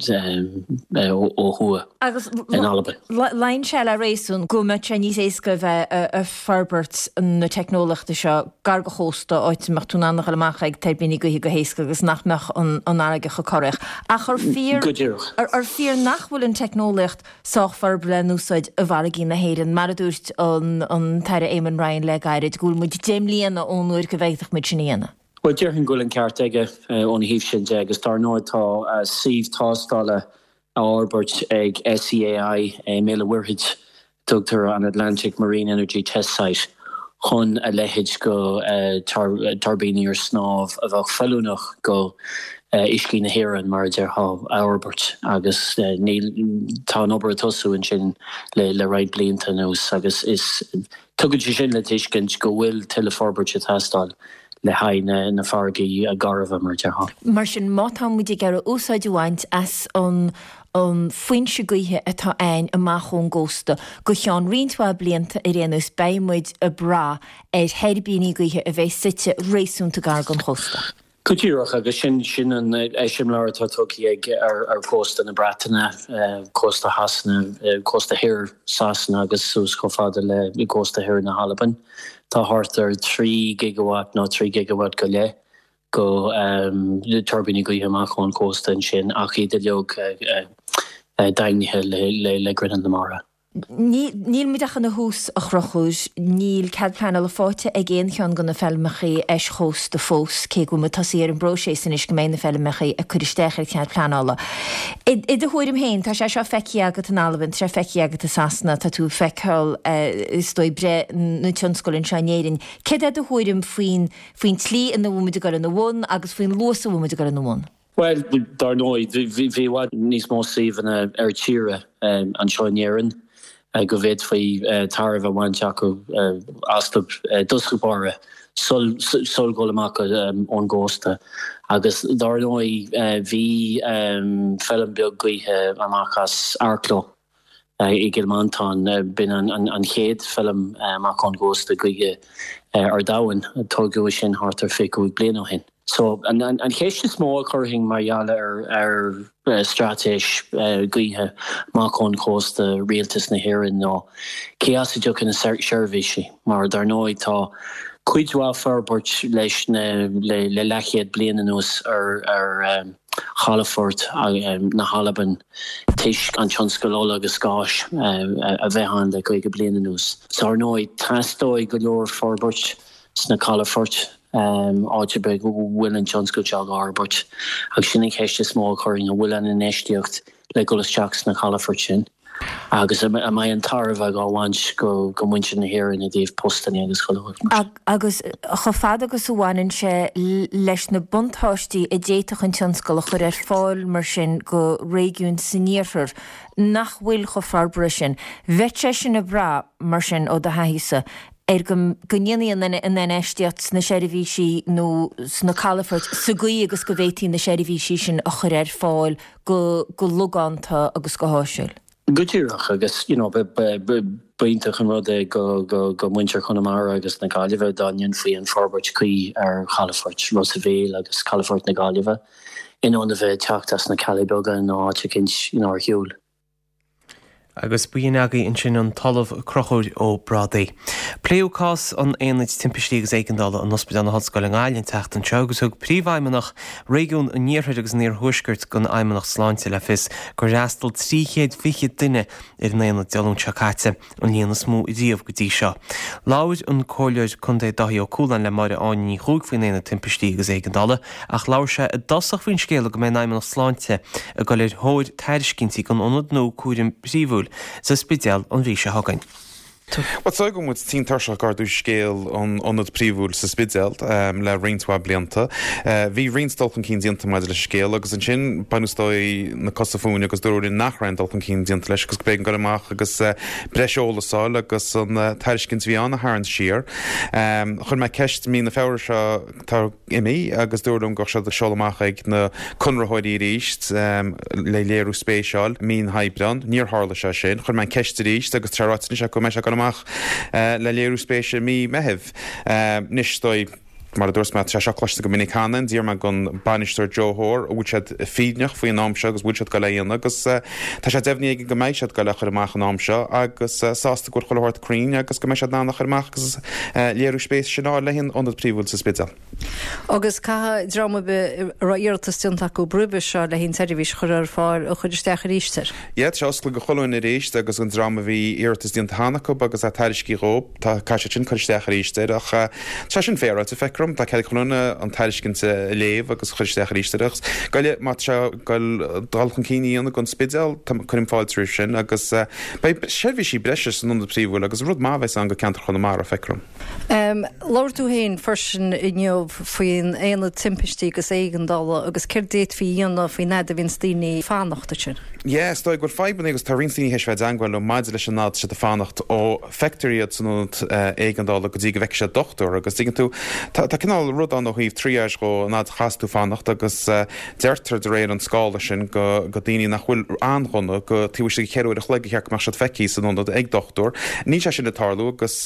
ó thuaidh Agus in Albain. Luíonn sé le réasún go mbeadh sé níos éasca a bheith ag forbairt na teicneolaíochta seo gar do chósta, áit a mbeadh tú in ann a dhul amach ag tuirbíní gaoithe go héasca agus nach mbeadh an fharraige chomh corraitheach. Ach ar fíor Go díreach. ar fíor nach bhfuil an teicneolaíocht sách forbartha le n-úsáid i bhfarraigí na hÉireann, mar a dúirt an tAire Eamon Ryan le gairid, go bhfuil muid 10 mbliana ón uair go bhféadfadh muid sin a dhéanamh. Bhuel, déarfainn go bhfuil an ceart aige óna thaobh sin de agus dar ndóigh tá suíomh tástála á fhorbairt ag SEAI i mBéal an Mhuirthead, tugtar an Atlantic Marine Energy Test Site, chun a leithéid de tuirbíní ar snámh a bheadh feiliúnach go uiscí na hÉireann, mar a déarfá, a fhorbairt agus níl, tá an obair ag tosú ansin le roinnt blianta anuas agus is, tugann sé sin le tuiscint go bhfuil tuilleadh forbairt ag teastáil le haghaidh na farraigí garbha, mar a déarfá. Mar sin, má tá muid ag iarraidh úsáid a bhaint as an an foinse gaoithe atá a'ainn amach ón gcósta, go cheann roinnt mhaith blianta ar aon nós, beidh muid ag brath ar thuirbíní gaoithe a bheidh suite réasúnta gar don chósta. Go díreach, agus sin sin an eiseamláir atá tugtha ag ar chósta na Breataine, cósta Shasana, cósta thoir Sasana agus suas chomh fada le cósta thoir na hAlban. Tá thart ar 3 gigawatt nó 3 gigawatt go leith de tuirbíní gaoithe amach ón chósta ansin ach iad uilig daingnithe le grinneall na mara. Níl muid ach ina thús, a Chonchúir. Níl cead pleanála faighte ag aon cheann de na feilmeacha eischósta fós, cé go bhfuil muid tosaithe ar an bpróiseas anois go mbeidh na feilmeacha ag cur isteach ar chead pleanála. I do thuairim féin, tá sé seo feicthe agat in Albain, tá sé feicthe agat i Sasana, tá tú ag feiceáil is dóigh breith na tionscail anseo in Éirinn. Céard é do thuairim faoin faoin tslí ina bhfuil muid ag dul ina bhun agus faoin luas a bhfuil muid ag dul ina bhun? Bhuel, dar ndóigh, bhí i bhfad níos mó suíomhanna ar tíre anseo in Éirinn. go bhféadfaí tairbhe a bhaint acu astu i dtosach báire sul dhul amach ón gcósta. Agus dár ndóigh bhí feilm beag gaoithe amach as Arklow i gCill Mhantáin, b'in an chéad feilm amach ón gcósta gaoithe ar domhan, tógadh sin thart ar 25 bliain ó shin. So, an cheist is mó a chuirfinn mar gheall ar straitéis gaoithe amach ón chósta Rialtas na hÉireann ná cé as a dtiocfaidh na seirbhísí? Mar dar ndóigh tá cuid mhaith forbairt leis na le leathchéad bliain anuas ar chalafoirt na hAlban toisc an tionscal ola agus gáis a bheith ann le 50 bliain anuas. So ar ndóigh teastóidh go leor forbairt sna calafoirt, áit ar bith go bhfuil an tionscal seo á fhorbairt. Agus sin an cheist is mó a chuirfinn, an bhfuil an infheistíocht le dhul isteach sna calafoirt sin? Agus an mbeidh an tairbhe dhá bhaint go muintir na hÉireann i dtaobh postanna agus chuile shórt mar sin? Agus chomh fada agus a bhaineann sé leis na buntáistí a d'fhéadfadh an tionscal a chur ar fáil mar sin go réigiúin san iarthar nach bhfuil chomh forbartha sin, bheadh sé sin ag brath, mar sin, ó do thaithísa, ar go ndéanfaí an infheistíocht sna seirbhísí nó sna calafoirt sa gcaoi agus go bhféadfaí na seirbhísí sin a chur ar fáil go logánta agus go háisiúil. Go díreach, agus you know b'iontach an rud é go go muintir Chonamara agus na Gaillimhe dá ndéanfaí an forbairt cuí ar chalafoirt Ros a' Mhíl agus calafort na Gaillimhe in ionad a bheith ag teacht as na Cealla Beaga nó áit eicínt you know ar shiúl. Agus b'in agaibh ansin an tOllamh Conchúr Ó Brádaigh. Pléadh cás an Aonaid Timpistí agus Éigeandála in Ospidéal na hOllscoile i nGaillimh an tseachtain seo agus thug Príomhfheidhmeannach Réigiún an Iarthair agus an Iarthuaiscirt den Fheidhmeannacht Sláinte le fios gur fhreastail 320 duine ar an aonad Dé Luain seo caite. an líon is mó riamh go dtí seo. Labhair an Comhairleoir Contae Dáithí Ó Cualáin le Máire Áine Ní Chuaig faoin Aonad Timpistí agus Éigeandála ach labhair sé i dtosach faoin scéala go mbeidh an Fheidhmeannacht Sláinte ag dul ar thóir tairiscintí don ionad nua cúraim phríomhúil sa Spidéal an mhí seo chugainn. Bhuel, is dóigh go bhfuil muid tinn tuirseach ag ardú scéal an ionaid phríomhúil sa Spidéal le roinnt mhaith blianta. Bhí roinnt dul chun cinn déanta maidir leis an scéal agus ansin baineadh is dóigh na cosa fúinn agus dúradh linn nach raibh aon dul chun cinn déanta leis agus go b'éigean dul amach agus breis eolais a fháil agus an tairiscint a bhí ann a tharraingt siar. Chuir mé ceist mí na Feabhra seo atá imithe agus dúradh liom go raibh siad ag seoladh amach ag na conraitheoirí arís le léiriú spéise a fháil mí an Aibreáin. Níor tharla sé sin. Chuir mé an ceist arís agus tá sé ráite anois acu go mbeidh sé ag dul amach le léiriú spéise mí Meithimh. Anois, is dóigh, Mar a dúirt mé, tá sé seo cloiste go minic cheana. D'iarr mé den bainisteoir Joe Hoare an bhfuil siad fírinneach faoin am seo agus an bhfuil siad ag dul é a dhéanamh agus tá sé deimhnithe aige go mbeidh siad ag dul é a chur amach an am seo agus sásta go bhfuil chuile shórt cruinn agus go mbeidh siad in ann a chur amach agus léiriú spéise sin a fháil le haghaidh an ionad príomhúil sa Spidéal. Agus caithfidh dream ar bith a raibh iarratas déanta acu roimhe seo le haghaidh an tseirbhís a chur ar fáil a chur isteach arís air. Yeah, tá sé oscailte go chuile dhuine arís agus an dream a bhí iarratas déanta cheana acu agus é tairiscithe dhóibh. Tá, caithfidh siad sin cur isteach arís air ach tá sé sin féaráilte, feictear dom. Tá cead ag chuile dhuine an tairiscint a léamh agus cur isteach arís air agus goile má tá sé ag goil dul chun cinn a dhéanamh don Spidéal, cuirim fáilte roimh sin agus beidh seirbhísí breise san ionad príomhúil agus rud maith a bheas ann go ceantar Chonamara, feictear dom. Labhair tú féin freisin inniu faoin Aonad Timpistí agus Éigeandála agus céard d'fhéadfaí a dhéanamh faoin fhad a bhíonns daoine ag fanacht ansin. Yeah, is dóigh go bhfuil fadhbanna agus tá roinnt daoine théis bheith i dteangmháil liom maidir leis an fhad atá siad ag fanacht ó feictear iad san ionad éigeandála go dtí go bhfeicfidh siad dochtúir agus tuigeann tú, tá cineál rud ann ó thaobh triage dhó, an fhad a chaitheas tú fanacht agus deirtear de réir an scála sin go go daoine nach bhfuil an-dhona go taobh istigh de cheithre uair a chloig ba cheart go mbeadh siad feicthe san ionad ag dochtúir. Níl sé sin ag tarlú agus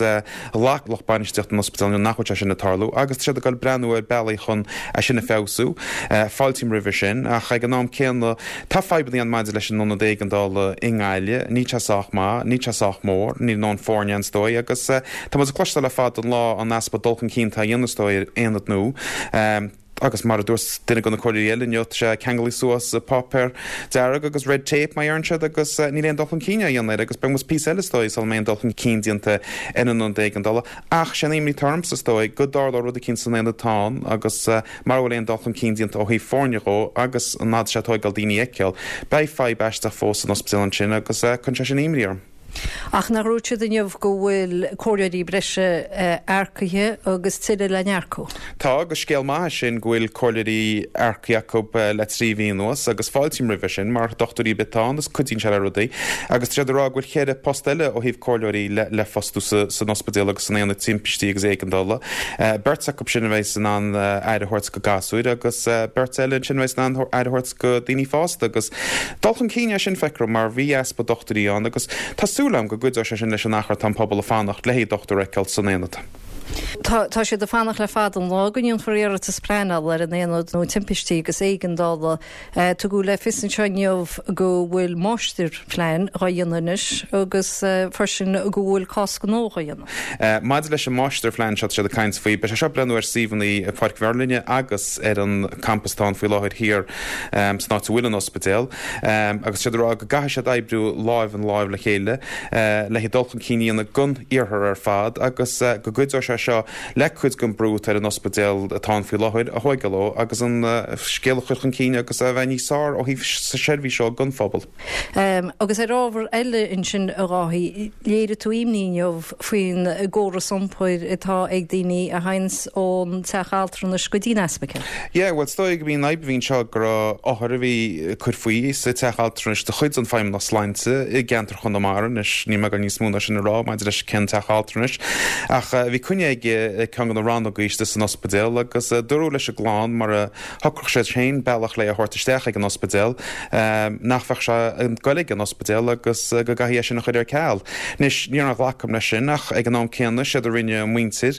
ghlac lucht bainistíochta an ospidéil inniu nach bhfuil sé sin ag tarlú agus tá siad ag dul breathnú ar bealaí chun é sin a feabhsú. Fáiltím roimhe sin ach ag an am céanna Tá fadhbanna ann maidir leis an ionad éigeandála i nGaillimh. Níl sé sách maith, níl sé sách mór, níl a ndóthain foirne ann is dóigh agus tá muid ag cloisteáil le fada an lá an easpa dul chun cinn atá á dhéanamh is dóigh ar aonad nua. Agus mar a dúirt duine de na comhairleoirí eile inniu, tá sé ceangailthe suas i páipéar dearg agus red tape mar a deireann siad agus níl aon dul chun cinn á dhéanamh air agus beidh muid píosa eile is dóigh sula mbeidh aon dul chun cinn déanta ar an ionad éigeandála. Ach sé an imní atá ormsa is dóigh go dtarlódh rud eicínt san aonad atá ann agus Mara bhfuil aon dul chun cinn déanta ó thaobh foirne dhó agus an fhad sé ag tóigeáil daoine a fheiceáil, beidh fadhb aisteach fós san ospidéal ansin agus cuireann sé sin imní orm. Ach nach ndúirt siad inniu go bhfuil comhairleoirí breise earcaithe agus tuilleadh le n-earcú? Tá, agus scéal maith é sin go bhfuil comhairleoirí earcaithe acu le 3 mhí anuas agus fáiltím roimhe sin mar dochtúirí ar bith atá ann is cuidíonn sé le rudaí agus tá siad ag rá go bhfuil cheithre post eile ó thaobh comhairleoirí le fostú san ospidéal agus san aonad timpistí agus éigeandála. Beirt acu sin a bheas in ann aire a thabhairt go gasúir agus beirt eile ansin a bheas in ann aire a thabhairt go daoine fásta agus dul chun cinn é sin, feictear dom, mar bhí easpa dochtúirí ann agus tá súil agam go gcuideoidh sé sin leis an achar atá an pobal ag fanacht le haghaidh dochtúir a fheiceáil san aonad. Tá siad ag fanacht le fada an lá go ndéanfar iarratas pleanála ar an aonad nua timpistí agus éigeandála. Tugadh le fios anseo inniu go bhfuil máistirphlean dhá dhéanamh anois agus freisin go bhfuil cás gnó dhá dhéanamh. Maidir leis an máistirphlean seo atá siad ag caint faoi, beidh sé seo ag breathnú ar suíomhanna i Pháirc Mherlyn agus ar an campas atá ann faoi láthair thiar san áit a bhfuil an ospidéal agus tá siad ag rá go gcaithfidh siad oibriú láimh in láimh le chéile le haghaidh dul chun cinn a dhéanamh don iarthar ar fad agus go gcuideoidh sé seo le cuid den brú atá ar an ospidéal atá ann faoi láthair a thóigeáil ó agus an scéal a chur chun cinn agus a bheith níos fearr ó thaobh seirbhís ó don phobal. Agus ar ábhar eile ansin, a Dháithí, léirigh tú imní inniu faoin gcóras iompair atá ag daoine a théanns ón teach altranais go dtí an ospidéal. Yeah, bhuel, is dóigh go mb'í an fhadhb a bhí anseo go raibh othar a bhí ag cur faoi sa teach altranais de chuid an Feidhmeannacht Sláinte i gceantar Chonamara, anois níl mé ag dul níos mó ná sin a rá maidir leis cén teach altranais, ach bhí coinne aige ag ceann de na rannógaí istigh san ospidéal agus dúradh leis an gclann mura Shocródh siad féin bealach le é a thabhairt isteach ag an ospidéal, nach bheadh sé ag goil ag an ospidéal agus go gcaithfí é sin a chur ar ceal. Anois, ní raibh aon ghlacadh agam leis sin ach ag an am céanna, séard a rinne an mhuintir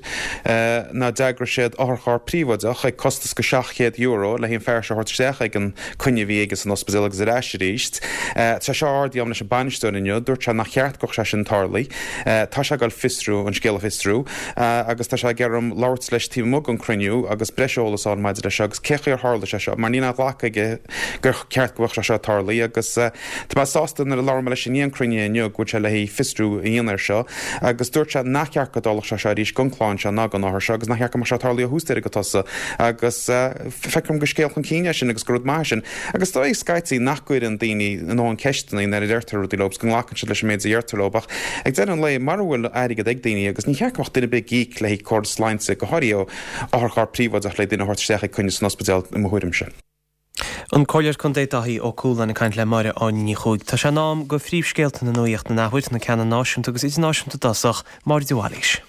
ná d'eagraigh siad otharcharr príobháideach ag costas go €700 le haghaidh an fear seo a thabhairt isteach ag an coinne a bhí aige san ospidéal agus ar ais arís. Tá sé seo ardaithe agam leis an bainisteoir inniu, dúirt sé nach cheart go mbeadh sé sin tarlaithe. Tá sé ag goil fiosrú, an scéal a fhiosrú. Agus tá sé ag iarraidh orm labhairt leis taobh amuigh den cruinniú agus breis eolas a fháil maidir leis seo agus cé chaoi ar tharla sé seo mar níl aon ghlacadh aige gur ceart go mbeadh sé seo tarlaithe agus tá mé sásta nuair a labhair mé leis i ndiaidh an cruinnithe inniu go bhfuil sé le haghaidh fiosrú a dhéanamh air seo agus dúirt sé nach ceart go dtarlódh sé seo arís don chlann seo ná don othar seo agus nach ceart go mbeadh sé tarlaithe ó thús deireadh go tosaigh agus feictear dom gur scéal chun cinn é sin agus gur rud maith é sin. Agus is dóigh scaití nach gcuireann daoine a ndóthain ceisteanna nuair a deirtear rudaí leo agus go nglacann siad leis an méid a deirtear leo ach ag deireadh an lae mara bhfuil airgead ag daoine agus ní cheart go mbeadh duine ar bith ag íoc le haghaidh córas sláinte, go háirithe ó otharcharr príobháideach le duine a thabhairt isteach ag coinne san ospidéal i mo thuairimse. An Comhairleoir Contae Dáithí Ó Cualáin ag caint le Máire Áine Ní Chuaig. Tá sé in am go phríomhscéalta na nuaíochta an athuair, na ceanna náisiúnta agus idirnáisiúnta i dtosach, Máire de Bhailís.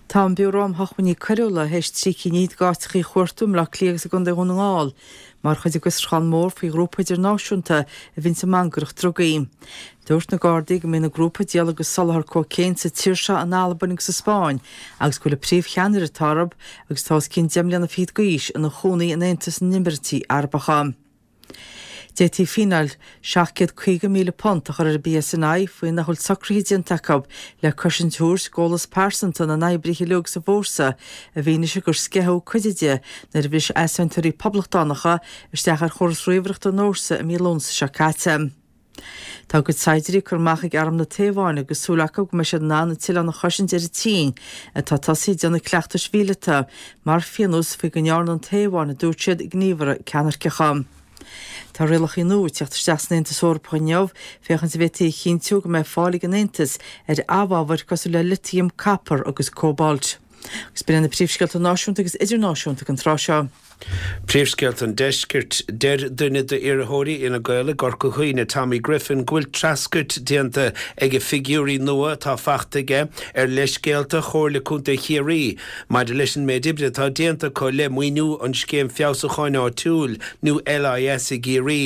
Tá an Biúró um Shócmhainní Coiriúla théis 13 cinn d'áiteachaí a chuartú i mBleá Cliath agus i gContae Dhún na nGall mar chuid de fhiosrúchán mór faoi ghrúpa idirnáisiúnta a bhíonns ag mangaireacht drugaí. Dúirt na Gardaí go mbíonn an grúpa ag díol agus soláthar cócaon sa tír seo, in Albain agus sa Spáinn agus go bhfuil an príomhcheannaire atá orthu agus atá os cionn 10 mbliana fichead d'aois ina chónaí in Aontas na nÉimíríochtaí Arabacha. D'fhéadfaí fíneáil £750,000 a chur ar an bPSNI faoi nach bhfuil socruithe déanta acu le cosaint a thabhairt d'eolas pearsanta na n-oibrithe uilig sa bhfórsa i bhfianaise gur sceitheadh cuid de nuair a bhris easaontóirí poblachtánacha isteach ar chóras ríomhaireachta an fhórsa i mí Lúnasa seo caite. Tá a gcuid saighdiúirí curtha amach ag arm na Téaváine agus súil acu go mbeidh siad in ann an t-oileán a chosaint ar an tSín, atá tosaithe ag déanamh cleachtais mhíleata, mar phionós faoi go ndearna an Téaváin, a dúirt siad, gníomhartha ceannairceacha. Tá rialacha nua ag teacht isteach san Aontas Eorpach inniu féachaint an bhféadfaí a chinntiú go mbeidh fáil ag an Aontas ar amhábhair cosúil le litiam, copar agus cóbalt. Agus b'in iad na príomhscéalta náisiúnta agus idirnáisiúnta ag an tráth seo. Príomhscéalta an Deiscirt. Deir duine d'iarrthóirí Fhine Gael i gCorca Dhuibhne, Tommy Griffin, go bhfuil treascairt déanta ag figiúirí nua atá faighte aige ar leithscéalta Chomhairle Contae Chiarraí maidir leis an méid oibre atá déanta acu le maoiniú an Scéim Feabhsúcháin Áitiúil nó LIS i gCiarraí.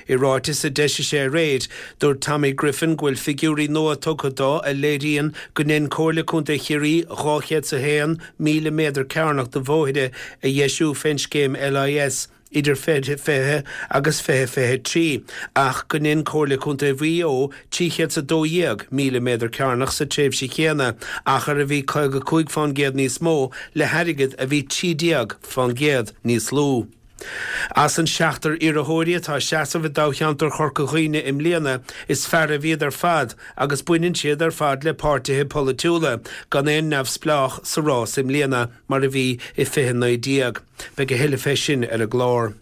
I ráiteas a d'eisigh sé aréir, dúirt Tommy Griffin go bhfuil figiúirí nua tugtha dó a léiríonn go ndein Comhairle Contae Chiarraí 201,000 méadar cearnach de bhóithre a dheisiú fén scéim LIS idir 2020 agus 2023 ach go ndein Comhairle Contae Mhaigh Eo 312,000 méadar cearnach sa tréimhse chéanna, achar a bhí 55 fán gcéad níos mó le hairgead a bhí 13 fán gcéad níos lú. As an seachtar iarrthóirí atá ag seasamh i dtoghcheantar Chorca Dhuibhne i mbliana, is fearaibh iad ar fad agus baineann siad ar fad le páirtithe polaitiúla, gan aon neamhspleách sa rás i mbliana mar a bhí i 2019. Beidh a thuilleadh fé sin ar an gclár.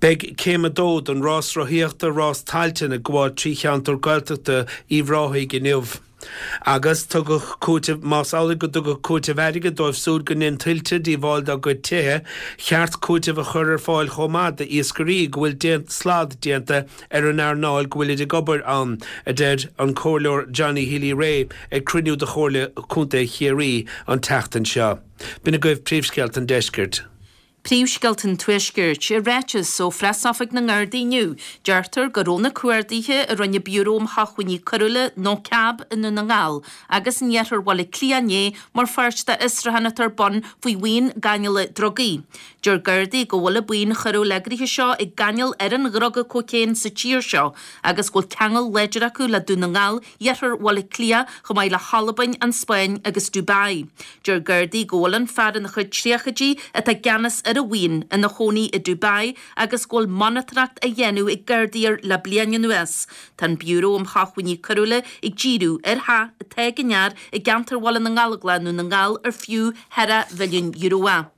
Beidh Céim 2 den rás rothaíochta Rás Tailteann ag gabháil trí cheantar Gaeltachta Uíbh Ráthaigh inniu. Agus tugadh cúiteamh, más amhlaidh go dtugadh cúiteamh airgid dóibh súd go ndein tuilte díobháil dá gcuid tithe, cheart cúiteamh a chur ar fáil chomh maith d'iascairí go bhfuil slad déanta ar an earnáil go bhfuilid ag obair ann, a deir an Comhairleoir Johnny Healy-Rae ag cruinniú de Chomhairle Contae Chiarraí an tseachtain seo. B'in agaibh príomhscéalta an deiscirt. Príomhscéalta an Tuaiscirt. I ráiteas ó Phreas-Oifig na nGardaí inniu, deirtear go raibh na cuarduithe a rinne Biúró um Shócmhainní Coiriúla, NoCAB, i nDún na nGall agus in iarthar Bhaile Átha Cliath inné mar pháirt d'fhiosrúchán atá ar bun faoi bhuíon gáinneála drugaí. Deir Gardaí go bhfuil an buíon choiriúil eagraithe seo ag gáinneáil ar an dhruga cócaon sa tír seo agus go bhfuil ceangal láidir acu le Dún na nGall, iarthar Bhaile Átha Cliath chomh maith le hAlbain, an Spáinn agus Dubai. Deir Gardaí go bhfuil an fear ina chuid tríochaidí atá i gceannas ar an bhuíon ina chónaí i Dubai agus go bhfuil monatóireacht á dhéanamh ag Gardaí air le bliain anuas. Tá an Biúró um Shócmhainní Coiriúla ag díriú ar theach atá ag an fhear i gceantar Bhaile na nGallóglach i nDún na nGall ar fiú ceathracha mhilliún euro é.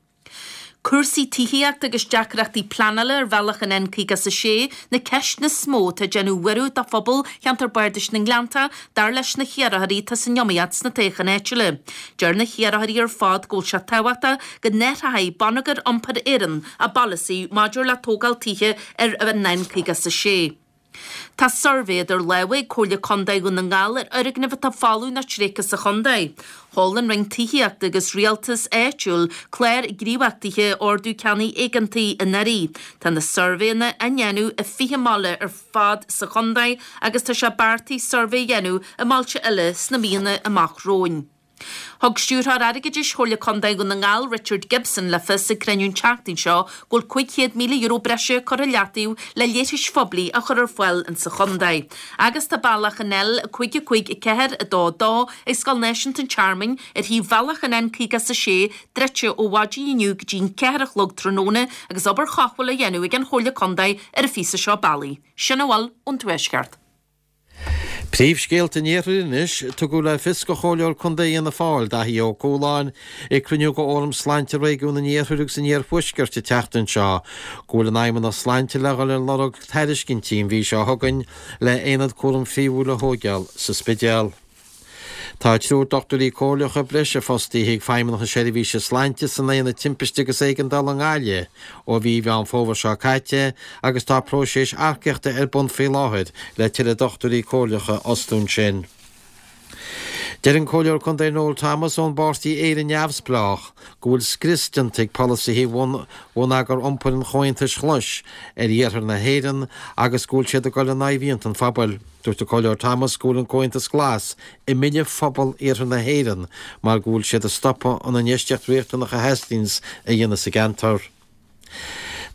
Cúrsaí tithíochta agus deacrachtaí pleanála ar bhealach an N56 na ceisteanna is mó atá ag déanamh buaireamh do phobal cheantar Bardais na nGleanntach, dar leis na hiarrthóirí atá san iomaíocht sna toghcháin áitiúla. Deir na hiarrthóirí ar fad go bhfuil sé tábhachtach go n-athróidh Bonneagar Iompair Éireann a bpolasaí maidir le tógáil tithe ar an N56. Tá suirbhé idir lámha ag Comhairle Contae Dhún na nGall ar fhoirgnimh atá folamh nó tréigthe sa chontae. Sheol an Roinn Tithíochta agus Rialtais Áitiúil clár gníomhachtaithe Ordú Ceannaigh Éigeantaigh anuraidh. Tá na suirbhéanna á ndéanamh i 20 mbaile ar fad sa chontae agus tá sé beartaithe suirbhé a dhéanamh i mbailte eile sna míonna amach romhainn. Thug Stiúrthóir Airgeadais Chomhairle Contae Dhún na nGall, Richard Gibson, le fios ag cruinniú an tseachtain seo go bhfuil €500,000 breise curtha i leataobh le leithris phoiblí a chur ar fáil insa chontae. Agus tá bealach an L554 2 2 ag Scoil Náisiúnta an Tearmainn ar thaobh bhealach an N56 druidte ó mhaidin inniu go dtí an 4 a chlog tráthnóna agus obair chothabhála á dhéanamh ag an Chomhairle Contae ar an phíosa seo bealaigh. Sin a bhfuil ón Tuaisceart. Príomhscéalta an Iarthair anois, Tugadh le fios do Chomhairleoir Contae Fhianna Fáil, Daithí Ó Cualáin, ag cruinniú de Fhóram Sláinte Réigiún an Iarthair agus an Iarthuaiscirt an tseachtain seo, go bhfuil an Fheidhmeannacht Sláinte le dhul ar lorg tairiscintí an mhí seo chugainn le haonad cúraim phríomhúil a thóigeáil sa Spidéal. Tá triúr dochtúirí comhairleacha breise fostaithe ag Feidhmeannacht na Seirbhíse Sláinte san Aonad Timpiste agus Éigeandála i nGaillimh ó mhí Mheán Fómhair seo caite agus tá próiseas earcaíochta ar bun faoi láthair le tuilleadh dochtúirí comhairleacha a fhostú ansin. Deir an Comhairleoir Contae Noel Thomas ón bpáirtí Éire Neamhspleách go bhfuil scrios déanta ag polasaithe bhonneagar iompair an Chomhaontais Ghlais ar iarthar na hÉireann agus go bhfuil siad ag dul in aghaidh mhianta an phobail. Dúirt an Comhairleoir Thomas go bhfuil an Comhaontas Glas ag milleadh phobal iarthar na hÉireann mar go bhfuil siad ag stopadh an infheistíocht riachtanach a theastaíonns a dhéanamh sa gceantar.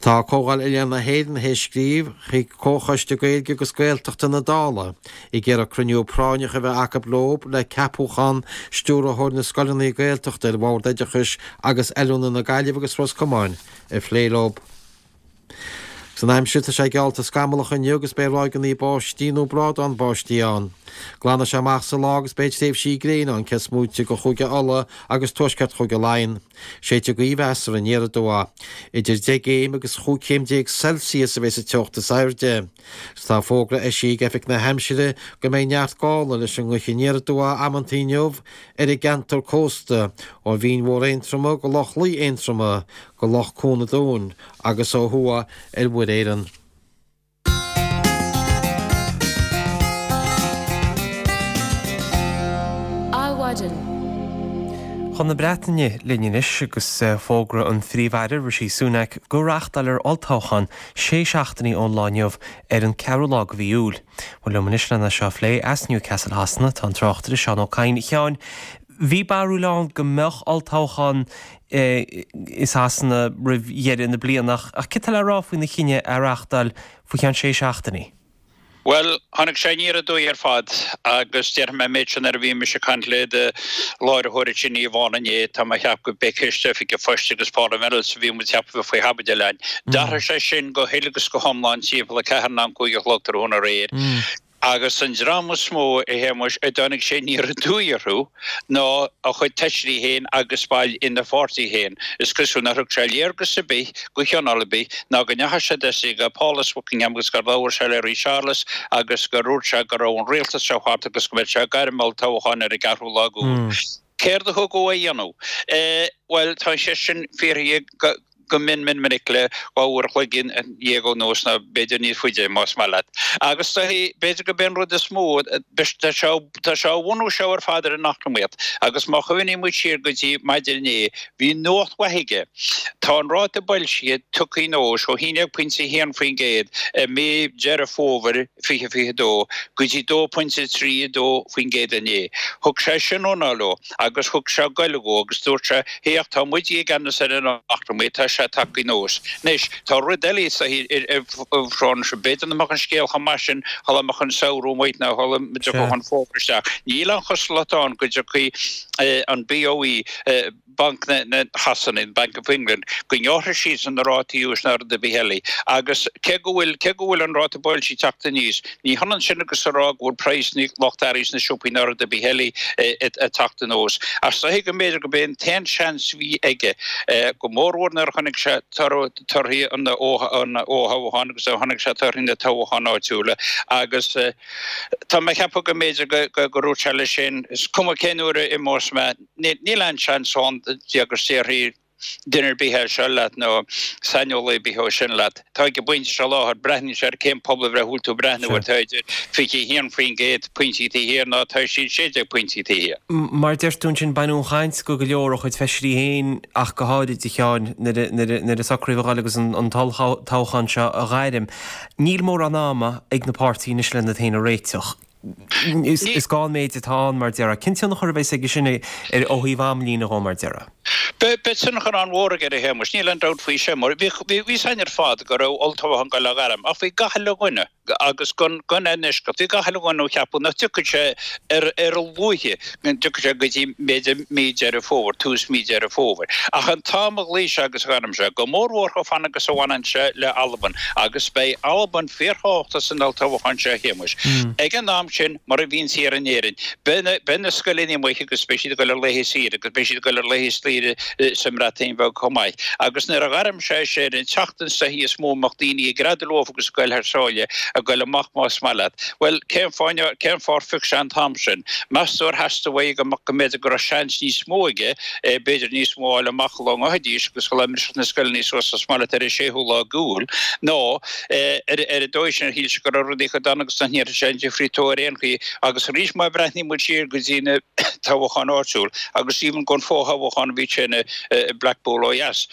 Tá Comhdháil Oileán na hÉireann théis scríobh chuig Comhchoiste Gaeilge agus Gaeltachta na Dála ag iarraidh cruinniú práinneach a bheith acu leo le ceapúchán Stiúrthóir na Scoileanna Gaeltachta ar Bhord Oideachais agus Oiliúna na Gaillimhe agus Ros Comáin a phlé leo. San aimsir, tá sé geallta scamallach inniu agus beidh ráigeanna báistí nó brádán báistí ann. Glanfaidh sé amach sa lá agus beidh tréimhsí gréine ann cé is móite de Chúige Uladh agus tuaisceart Chúige Laighean. Séidfidh gaoth mheasartha aniar aduaidh. Idir 10 gcéim agus 15 chéim Celsius a bheidh sa teocht is airde. Agus tá fógra eisithe ag Oifig na hAimsire go mbeidh neart gála leis an ngaoth aniar aduaidh amantaí inniu ar an gceantar cósta, ó Bhinn Mhór Aontroma go Loch Lao Aontroma, go Loch Cuan an Dúin agus ó thuaidh ar Mhuir Éireann. Adhmhaidin. Chun na Breataine linn anois agus fógra an Phríomh-Aire Rishi Sunak go reáchtáilfear olltoghchán sé seachtainí ón lá inniu ar an 4ú lá de mhí Iúil. Bhuel liom anois lena seo a phlé as Newcastle Shasana tá an tráchtaire Seán Ó Cadhain. A Sheáin, bhí barúil ann go mbeadh olltoghchán i Sasana roimh dheireadh na bliana ach céard tá le rá faoina chinneadh é a reáchtáil faoi cheann sé seachtainí? Bhuel, tháinig sé aniar aduaidh ar fad agus déarfaidh mé an méid sin nuair a bhí mise ag caint le do láithreoir ansin Yvonne inné, tá mé a cheapadh go b'é ceist Oifig an Phoist agus Paula Vennells a bhí muid a cheapadh a bheith faoi chaibidil ann. D'athraigh sé sin go huile agus go hiomlán timpeall a ceathair nó an cúig a chlog tráthnóna aréir. Agus an dream is mó, a Shéamuis, a dtáinig sé aniar aduaidh orthu ná a chuid feisirí féin agus baill ina pháirtí féin. Is cosúil nár thug sé léargas ar bith go chineál ar bith ná go ndeachaigh sé deis go Pálás Buckingham agus gur labhair sé le Rí Séarlas agus gur dhúirt sé go raibh an rialtas seo thart agus go mbeadh sé ag gairm olltoghcháin ar an gceathrú lá d'Iúil. Céard a thug dhó é a dhéanamh? Bhuel, tá an cheist sin fiafraithe go mion mion minic le 12 uair a chloig anuas, nó b'fhéidir níos faide, más maith leat. Agus b'fhéidir gurb é an rud is mó, tá sé á bhunú seo ar fad ar an eacnamaíocht. Agus má chuimhníonn muid siar go dtí maidin inné, bhí nuacht mhaith aige. Tá an ráta boilscithe tugtha anuas ó 11.1% i mí Deireadh Fómhair 2022 go dtí 2.32% inné. Thug sé sin anáil dhó agus thug sé goile dhó agus dúirt sé, Féach, tá muide i gceannas ar an eacnamaíocht, tá sé tagtha anuas. Anois, tá rud eile sa seo, b'fhéidir nach mbeadh an scéal chomh maith sin shula mbeadh an samhradh amuigh nó shula dtiocfadh an fómhar isteach. Níl aon chosúlacht ann go dtiocfaidh an BOE, Banc na Shasana, Bank of England, go ngearrfaidh siadsan na rátaí úis ná rud ar bith eile. Agus cé go bhfuil, cé go bhfuil an ráta boilscithe ag teacht aníos, ní hionann sin agus a rá go bhfuil praghsanna lucht earraí sna siopaí ná rud ar bith eile ag teacht anuas. Ach is dóiche go mb'fhéidir gurb é an t-aon seans a bhí aige, go mórmhór nuair a chonaic sé torthaí an fhothoghcháin agus nuair a chonaic sé torthaí na toghcháin áitiúla agus tá mé ag ceapadh go mb'fhéidir go ndúirt sé leis féin, is cuma cén uair a imeos mé, Níl aon seans ann agus déarfaidh duine ar bith é seo leat nó saineolaí ar bith é sin leat. Tá ag an bpointe seo láthair, breathnaíonn sé ar cén pobalbhreith a bhfuil tú ag breathnú air, tá idir 21% pointí taobh thiar nó tá siad 16 pointí taobh thiar. Mar a deir tú ansin, baineadh an chaint go go leor ó chuid feisirí féin ach go háirid, a Sheáin, nuair a socraíodh a dhul agus an t-olltoghchán seo a ghairm. Níl mórán ama ag na páirtithe anois lena iad féin a réiteach. Is gá an méid atá ann, mar a déarfá. Cén tionchar a bheas aige sin ar ó thaobh amlíne dhó, mar a déarfá? Beidh tionchar an-mhór aige, a Shéamuis, níl aon dabht faoi sin, mar bhí fhios againn ar fad go raibh olltoghchán ag goil á ghairm, ach bhí gach uile dhuine, agus gan aon eisceacht, bhí gach uile dhuine á cheapadh nach dtiocfadh sé ar a luaithe, go dtiocfadh sé go dtí b'fhéidir mí Deireadh Fómhair, tús mí Deireadh Fómhair. Ach an t-am a ghlaoigh sé agus a ghairm sé, go mórmhór chomh fada agus a bhaineann sé le Albain, agus beidh Albain fíorthábhachtach san olltoghchán seo, a Shéamuis. Ag an am sin, mar a bhíonns thiar in Éirinn, beidh na scoileanna amuigh agus beidh siad ag dul ar laetha saoire agus beidh siad ag dul ar laetha saoire sa mBreatain Bheag chomh maith. Agus nuair a ghairm sé sé ar an tseachtain is dóichí is mó a mbeadh daoine ag greadadh leo agus ag goil thar sáile, ag goil amach más maith leat. Bhuel, cén fáth, cén fáth ar phioc sé an t-am sin? Meas tú ar theastaigh uaidh go mbeadh, go mb'fhéidir go raibh seans níos mó aige, b'fhéidir níos mó a fháil amach sula ngabhfaidís agus sula mbrisfeadh na scoileanna suas más maith leat ar an séú lá d'Iúil, nó ar an dóigh sin ar shíl sé go raibh rudaí chomh dona agus nach ndéanfadh sé aon difríocht dó ar aon chaoi. Agus arís má bhreathnaíonn muid siar go dtí na toghcháin áitiúil agus even gon fho-thoghchán a bhí ansin i Blackpool ó dheas,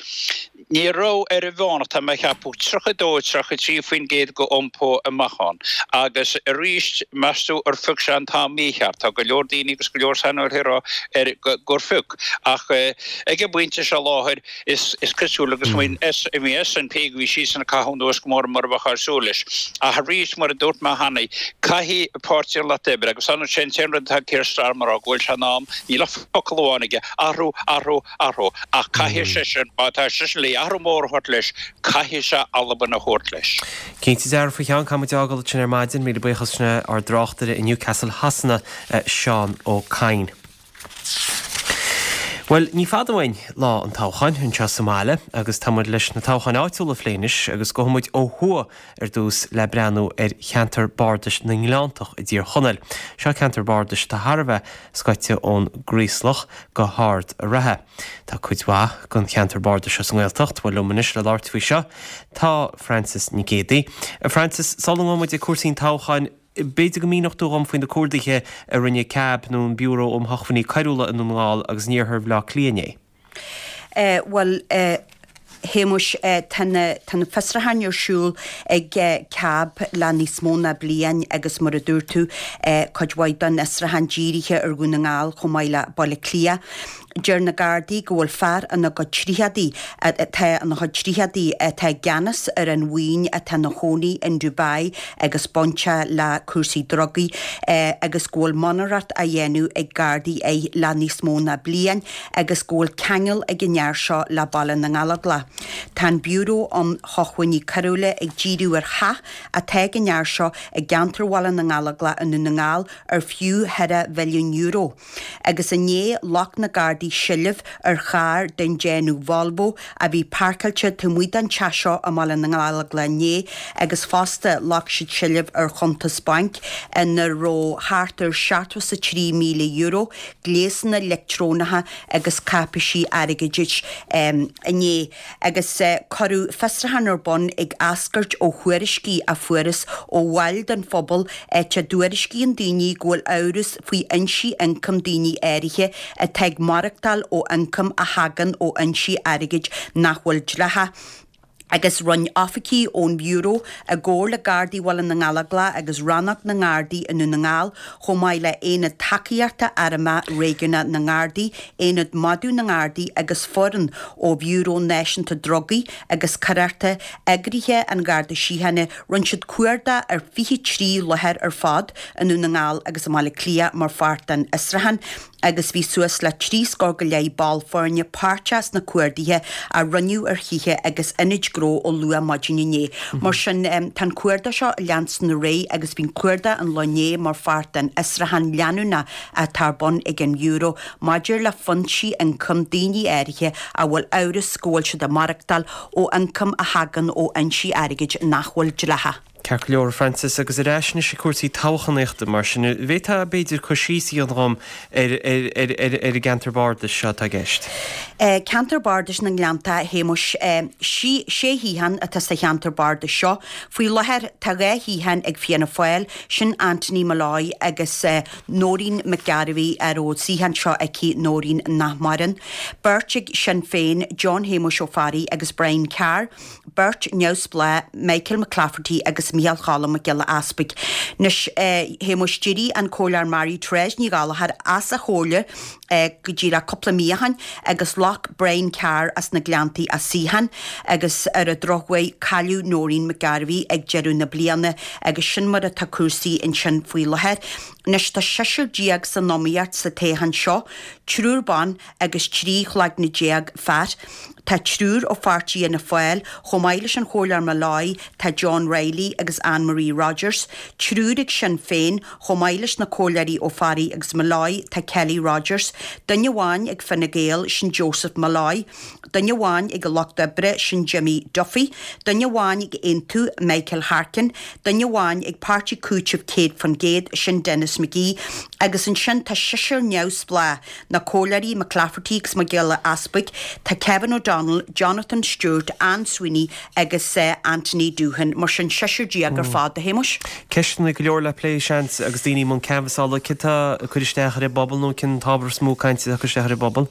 ní raibh ar an mheánach, tá mé a cheapadh, 32, 33% go iompó amach ann. Agus arís, meas tú ar phioc sé an t-am mícheart? Tá go leor daoine agus go leor saineolaithe ag rá ar gur phioc. Ach ag an bpointe seo láthair, Is cosúil agus bhí SNP go bhí siadsan ag caitheamh anuas go mór mar a bheadh ag súil leis. Ach arís, mar a dúirt mé cheana, caithfidh Páirtí an Lucht Oibre, agus an sin an t-aon rud atá ag Keir Starmer a rá, go bhfuil sé in am, níl ach focal amháin aige, athrú, athrú, athrú. Ach caithfidh seisean, má tá seisean le athrú mór a thabhairt leis, caithfidh sé Albain a thabhairt leis. Cinnte dearfa, a Sheáin, caithfidh muid fhágáil ansin ar maidin. Míle buíochas sin é ár dtráchtaire i Newcastle Shasana, Seán Ó Cadhain. Bhuel, ní fada uainn lá an toghcháin anseo sa mbaile agus tá muid leis na toghcháin áitiúla a phlé anois agus gabhfaidh muid ó thuaidh ar dtús le breathnú ar cheantar bardais na nGleanntach i dTír Chonaill. Seo ceantar bardais atá thar a bheith scoite ón gCraoslach go hArd a' Rátha. Tá cuid mhaith den cheantar bardais seo sa nGaeltacht. Bhuel, liom anois le labhairt faoi seo tá Frances Nic Géadaigh. A Frances, sula ngabhfaidh muid ag cúrsaí an toghcháin, B'fhéidir go míneodh tú dhom faoi na cuarduithe a rinne CAB nó an Biúró um Shócmhainní Coiriúla i nDún na nGall agus in iarthar Bhaile Átha Cliath inné. Bhuel, a Shéamuis, tá na fiosrúcháin ar siúl ag CAB le níos mó ná bliain agus mar a dúirt tú, cuid mhaith den fhiosrúchán dírithe ar Dhún na nGall chomh maith le Baile Átha Cliath. Deir na Gardaí go bhfuil fear ina chuid tríochadaí atá ina chuid tríochadaí atá i gceannas ar an bhuíon atá ina chónaí in Dubai agus bainteach le cúrsaí drugaí agus go bhfuil monatóireacht á dhéanamh ag Gardaí air le níos mó ná bliain agus go bhfuil ceangal ag an fhear seo le Baile na nGallóglach. Tá an Biúró um Shócmhainní Coiriúla ag díriú ar theach atá ag an fhear seo i gceantar Bhaile na nGallóglach i nDún na nGall ar fiú cheithre mhilliún euro. Agus inné ghlac na Gardaí seilbh ar charr den déanamh Volvo a bhí páirceáilte taobh amuigh den teach seo i mBaile na nGallóglach inné agus fosta ghlac siad seilbh ar chuntas bainc ina raibh thart ar €73,000, gléasanna leictreonacha agus cáipéisí airgeadais inné. Agus cuireadh fiosrúchán ar bun ag eascairt ó thuairiscí a fuarthas ó bhaill den phobal áit a dtuairiscíonn daoine go bhfuil amhras faoi fhoinsí ioncaim daoine áirithe atá ag maireachtáil ó ioncam a thagann ó fhoinsí airgid nach bhfuil dleathach. Agus rinne oifigigh ón mBiúró, i gcomhar le Gardaí Bhaile na nGallóglach agus Rannóg na nGardaí i nDún na nGall, chomh maith le Aonad Tacaíochta Armtha Réigiúnach na nGardaí, Aonad Madadh na nGardaí agus foireann ó Bhiúró Náisiúnta Drugaí agus Coireachta Eagraithe an Gharda Síochána, rinne siad cuardach ar 23 láthair ar fad i nDún na nGall agus i mBaile Átha Cliath mar pháirt den fhiosrúchán. agus bhí suas le 30 scór go leith ball foirne páirteach sna cuarduithe a rinneadh ar thithe agus ionaid gnó ó luath maidin inné. Mar sin, tá an cuardach seo ag leanstan ar aghaidh agus bhí an cuardach an lá inné mar pháirt den fhiosrúchán leanúnach atá ar bun ag an mBiúró maidir le foinsí ioncaim daoine áirithe a bhfuil amhras go bhfuil siad ag maireachtáil ó ioncam a thagann ó fhoinsí airgid nach bhfuil dleathach. Ceart go leor, a Frances, agus ar ais anois ag cúrsaí toghchánaíochta, mar sin, an bhféadfá, b'fhéidir, cur síos a dhéanamh dhom ar ar an gceantar bardais seo atá i gceist? Ceantar Bardais na nGleannta, a Shéamuis. Sé shuíochán atá sa cheantar bardais seo. Faoi láthair, tá 2 shuíochán ag Fianna Fáil, sin Anthony Molloy agus Nóirín McGarvey, a raibh an suíochán seo aici, Nóirín nach maireann. Beirt ag Sinn Féin, John Shéamuis Ó Fearraigh agus Brian Carr. Beirt neamhspleách, Michael McClafferty agus Micheál Choilm Mac Giolla Easpaig. Anois, a Shéamuis, d'éirigh an Comhairleoir Mary Therese Ní Ghallchóir as an chomhairle go díreach cúpla mí ó shin agus ghlac Brian Carr as na Gleanntaí a suíochán agus ar an drochuair cailleadh Nóirín McGarvey ag deireadh na bliana agus sin mar atá cúrsaí ansin faoi láthair. Anois tá seisear san iomaíocht sa toghchán seo, triúr ban agus 13 chloigne fear. Tá triúr ó pháirtí Fhianna Fáil, chomh maith leis an Chomhairleoir Molloy, tá John Reilly agus Anne Marie Rogers. Triúr ag Sinn Féin, chomh maith leis na Comhairleoirí Ó Fearraigh agus Molloy, tá Kelly Rogers. Duine amháin ag Fine Gael, sin Joseph Molloy. Duine amháin ag an Lucht Oibre, sin Jimmy Duffy. Duine amháin ag Aontú, Michael Harkin. Duine amháin ag Páirtí Cúitimh 100%, sin Denis McGee. Agus ansin tá seisear neamhspleách. Na Comhairleoirí McClafferty agus Mac Giolla Easpaig, tá Kevin O'Donnell, Jonathan Stewart, Anne Sweeney agus Anthony Doohan. Mar sin, seisear ar fad, a Shéamuis. Ceisteanna go leor le plé, seans, agus daoine i mbun canbhasála. Céard atá ag cur isteach ar an bpobal nó cén t-ábhar is mó cainte atá ag cur isteach ar an bpobal?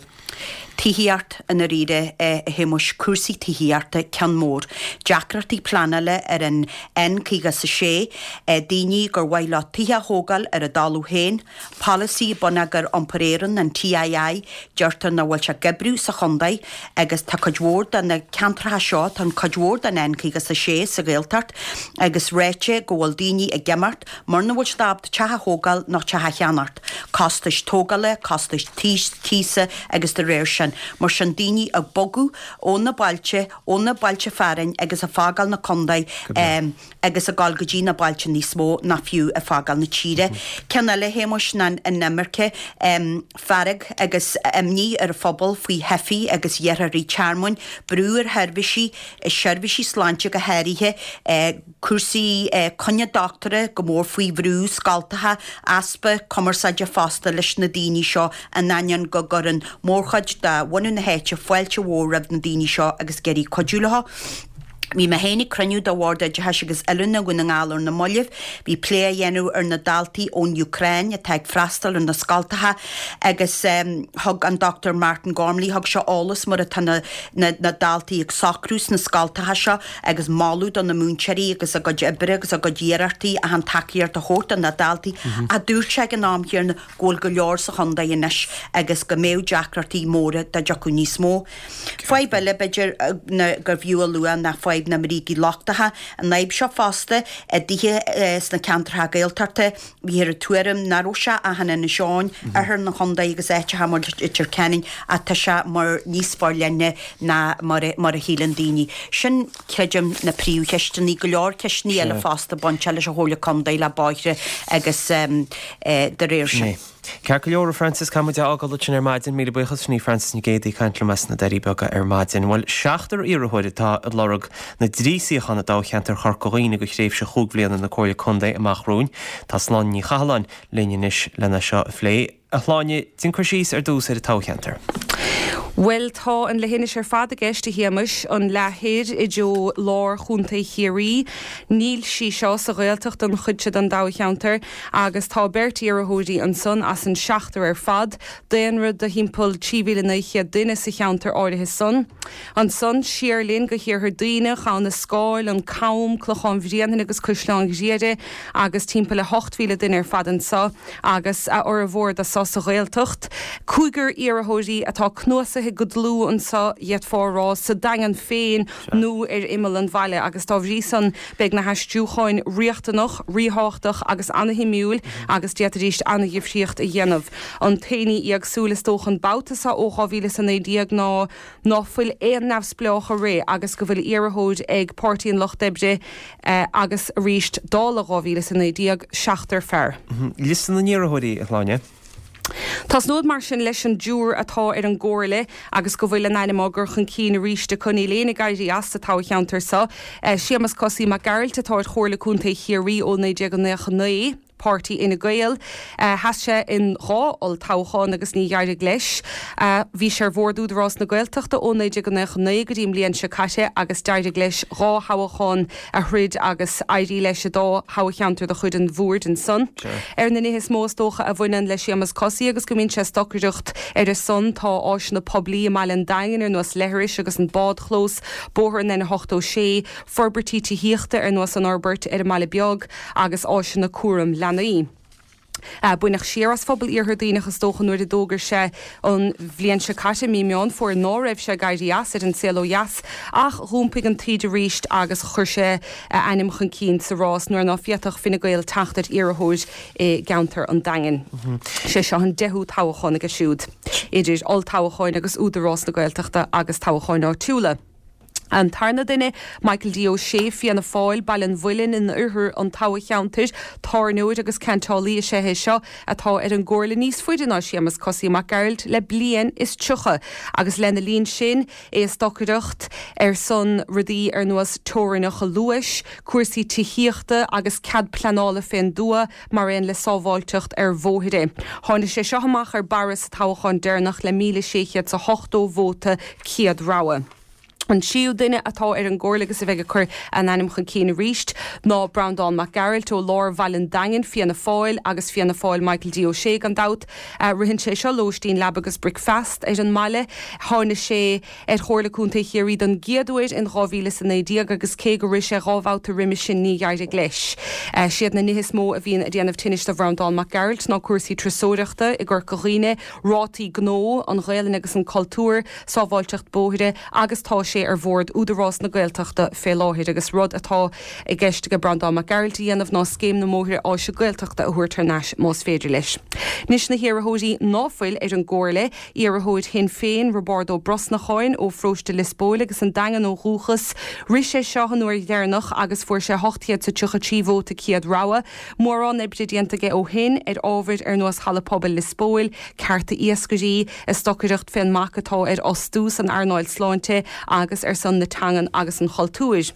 Tithíocht, i ndáiríre, a Shéamuis, cúrsaí tithíochta, ceann mór. Deacrachtaí pleanála ar an N56, daoine gur mhaith leo tithe a thógáil ar a dtalamh féin, Polasaí Bonneagar Iompair Éireann, an TII, deirtear nach bhfuil sé ag oibriú sa chontae agus tá cuid mhór de na ceantracha seo, tá an cuid mhór den N56 sa Ghaeltacht agus ráite go bhfuil daoine ag imeacht mar nach bhfuil siad ábalta teach a thógáil nó teach a cheannacht. Costais tógála, costais tíosa agus de réir sin. Mar sin daoine ag bogadh ó na bailte, ó na bailte fearainn agus ag fágáil na contae. agus ag dul go dtí na bailte níos mó nó fiú ag fágáil na tíre. Ceann eile, a Shéamuis, ná an imirce. Fearg agus imní ar an phobal faoi theifigh agus iarrthóirí tearmainn, brú ar sheirbhísí, seirbhísí sláinte go háirithe, cúrsaí coinne dochtúra go mór faoi bhrú, scoltacha, easpa cumarsáide fosta leis na daoine seo in ainneoin go gcuireann mórchuid de bhunadh na háite fáilte mhór roimh na daoine seo agus ag iarraidh cuidiú leo. Bhí mé féin ag cruinniú de Bhord Oideachais agus Oiliúna Dhún na nGall ar na mallaibh. Bhí plé á dhéanamh ar na daltaí ón Úcráin atá ag freastal ar na scoltacha agus thug an Dr Martin Gormley, thug sé eolas mar atá na na daltaí ag socrú sna scoltacha seo agus moladh do na múinteoirí agus a gcuid oibre agus a gcuid iarrachtaí achan tacaíocht a thabhairt do na daltaí. Ach dúirt sé ag an am chéanna go bhfuil go leor sa chontae anois agus go mbeadh deacrachtaí móra dá dtiocfadh níos mó. Fadhb eile, b'fhéidir, gurbh fhiú a lua ná fadhb na mbrící lochtacha. An fhadhb seo fosta i dtithe sna ceantracha Gaeltachta, bhíthear ag tuairim nach raibh sé ach in Inis Eoghain, oirthear an chontae agus áiteacha mar Leitir Ceanainn ach tá sé mar níos forleithne ná mar a shíleann daoine. Sin, creidim, na príomhcheisteanna. Go leor ceisteanna eile fosta bainteach leis an Chomhairle Contae, le bóithre agus de réir sin. Ceart go leor, a Frances, caithfidh muid é a fhágáil ansin ar maidin. Míle buíochas, sin í Frances Nic Géadaigh ag caint liom as na Doirí Beaga ar maidin. Bhuel, seachtar iarrthóir atá ag lorg na dtrí suíochán i dtoghcheantar Chorca Dhuibhne do thréimhse chúig bhliana na Comhairle Contae amach romhainn. Tá Sláine Ní Chathalláin linn anois lena seo a phlé. A Shláine, déan cur síos ar dtús ar an toghcheantar. Bhuel, tá an leithinis ar fad i gceist, a Shéamais, an leath thoir i dtreo lár Chontae Chiarraí. Níl sí seo sa Ghaeltacht an chuid seo den toghcheantar. Agus tá beirt iarrthóirí ansan as an seachtar ar fad, daonra de thimpeall 3,900 duine sa cheantar áirithe san. Ansan, siar linn go hiarthar Duibhneach, Abha na Scáil, An Cam, Clochán Bhréanainn agus Caisleán Ghriaire agus timpeall le 8,000 duine ar fad anso agus a fhormhór de so sa Ghaeltacht. Cúigear iarrthóirí atá cnuasaithe go dlúth anso, d'fhéadfá a rá, sa Daingean féin nó ar imeall an bhaile agus dá bhrí san, Beidh na haistriúcháin riachtanach, ríthábhachtach agus ana-shuimiúil agus d'fhéadfaidís ana-dhifríocht a dhéanamh. An t-aon ní éagsúil is dócha an babhta seo ó 2019 ná ná fuil aon neamhspleách ag rith agus go bhfuil iarrthóir ag Páirtí an Lucht Oibre agus arís, dála 2019, seachtar fear. Liosta na n-iarrthóirí, a Shláine. Tosnód mar sin leis an dtriúr atá ar an gComhairle agus go bhfuil a n-ainm á gcur chun cinn arís acu. Níl éinne ag éirí as sa toghcheantar seo. Séamus Cosaí Mac Gearailt atá ar Chomhairle Contae Chiarraí ó 1999, Páirtí Fhine Gael. Sheas sé in dhá olltoghchán agus ní d'éirigh leis. Bhí sé ar Bhord Údarás na Gaeltachta ó 1999 go dtí an mbliain seo caite agus d'éirigh leis dhá thoghchán a throid agus éirí leis i dá thoghcheantar de chuid an bhoird ansan. Ar na nithe is mó is dócha a bhaineann le Séamus Cosaí agus go mbíonn sé ag stocaireacht ar a son tá áiseanna poiblí i mbaile an Daingin ar nós leithris agus an bádchlós, bóthar an N86, forbairtí tithíochta ar nós an fhorbairt ar an mBaile Beag agus áiseanna cúram leanaí. Baineadh siar as phobal Iarthar Duibhneach is dócha nuair a d'fhógair sé an bhliain seo caite, mí Meán Fómhair, ná raibh sé ag éirí as ar an saol ó dheas ach dh'iompaigh an taoide arís agus chuir sé a ainm chun cinn sa rás nuair ná féadfadh Fine Gael teacht ar iarrthóir i gceantar an Daingin. Sé seo an deichiú toghchán aige siúd, idir olltoghcháin agus Údarás na Gaeltachta agus toghcháin áitiúla. An tarna duine, Michael D. Ó Sé, Fianna Fáil, Baile an Mhuilinn in oirthear an toghcheantair, tábhairneoir agus ceantálaí is ea é seo atá ar an gcomhairle níos faide ná Séamus Cosaí Mac Gearailt le bliain is 30 agus lena linn sin é ag stocaireacht ar son rudaí ar nós teorainneacha luais, cúrsaí tithíochta agus cead pleanála fén dtuath mar aon le sábháilteacht ar bhóithre. Tháinig sé seo amach ar barra sa toghchán deireanach le 1,680 vóta céad rogha. An tríú duine atá ar an gcomhairle agus a bheidh ag cur a n-ainm chun cinn arís ná Breandán Mac Gearailt ó lár Bhaile an Daingin, Fianna Fáil agus Fianna Fáil Michael D. Ó Sé gan dabht. Ritheann sé seo lóistín, leaba agus bricfeast ar an mbaile. Tháinig sé ar Chomhairle Contae Chiarraí don gcéad uair in 2019 agus cé gur rith sé dhá bhabhta roimhe sin ní d'éirigh leis. Siad na nithe is mó a bhíonn ag déanamh tinnis do Bhreandán Mac Gearailt ná cúrsaí turasóireachta i gCorca Dhuibhne, rátaí gnó, an Ghaelainn agus an cultúr, sábháilteacht bóithre agus tá sé ar bhord Údarás na Gaeltachta fé láthair agus rud atá i gceist aige Breandán Mac Gearailt a dhéanamh ná Scéim na mBóithre Áise Gaeltachta a thabhairt thar n-ais más féidir leis. Anois na hiarrthóirí ná fuil ar an gcomhairle, iarrthóir Shinn Féin, Roibeárd Ó Brosnacháin ó pharóiste Lios Póil agus an Daingean ó dhúchas. Rith sé seo an uair dheireanach agus fuair sé 833 vóta céad rogha. Mórán oibre déanta aige ó shin ar ábhair ar nós Halla Pobail Lios Póil, cearta iascairí, ag stocaireacht fén mbac atá ar fhostú san earnáil sláinte agus ar son na teangan agus an chultúir.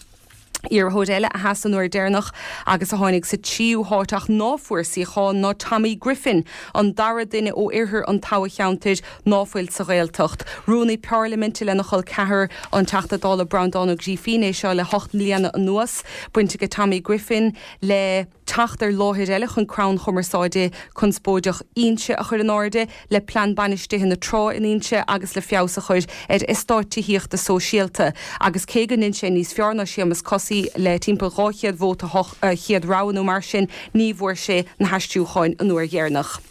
Iarrthóir eile a sheas an uair deireanach agus a tháinig sa tríú háit ach ná fuair suíochán ná Tommy Griffin, an dara duine ó oirthear an toghcheantair ná fuil sa Ghaeltacht. Rúnaí Parlaiminte lena chol ceathar, an Teachta Dála Breandán Ó Grífín é seo le hocht mbliana anuas. Baint aige Tommy Griffin le. teacht ar láthair eile chun crann chumarsáide conspóideach Inse a chur in airde, le plean bainistithe na trá in Inse agus le feabhas a chur ar eastáit tithíochta sóisialta. Agus cé go ndein sé níos fearr ná Séamus Cosaí le timpeall 200 vóta chéad rogha nó mar sin, ní bhfuair sé na haistriúcháin an uair dheireanach.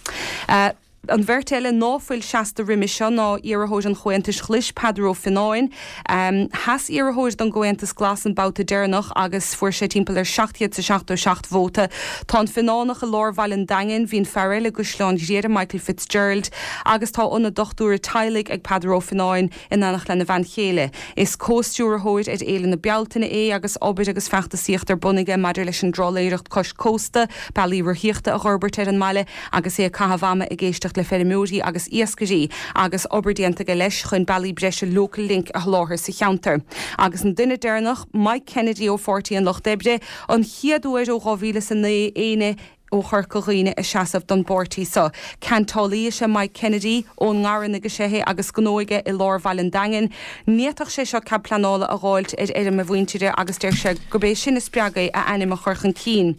An bheirt eile ná fuil seasta roimis seo ná iarrthóir an Chomhaontais Ghlais, Peadar Ó Fionnáin. Sheas iarrthóir don gComhaontas Glas an babhta deireanach agus fuair sé timpeall ar 777 vóta. Tá an Fionnánach i lár bhaile an Daingin, bhí an fear eile i gCaisleán Ghriaire, Michael Fitzgerald, agus tá ionad dochtúra teaghlaigh ag Peadar Ó Fionnáin in éineacht lena bhean chéile. Is comhstiúrthóir ar Fhéile na Bealtaine é agus obair agus feachtasaíocht ar bun aige maidir leis an dtrálaeireacht cois cósta, bealaí rothaíochta a dh'fhorbairt ar an mbaile agus é ag caitheamh ama ag éisteacht le feirmeoirí agus iascairí, agus obair déanta aige leis chun bealaí breise Local Link a sholáthar sa cheantar. Agus an duine deireanach, Mike Kennedy ó Pháirtí an Lucht Oibre, an chéad uair ó 2009 éinne ó Chorca Dhuibhne ag seasamh don bpáirtí seo. Ceantálaí is ea Mike Kennedy, ón nGarranaigh is ea é agus gnó aige i lár bhaile an Daingin. Ní fhéadfadh sé seo cead pleanála a dh'fháilt ar fheirm a mhuintire agus deir sé gurb é sin a spreag é a ainm a chur chun cinn.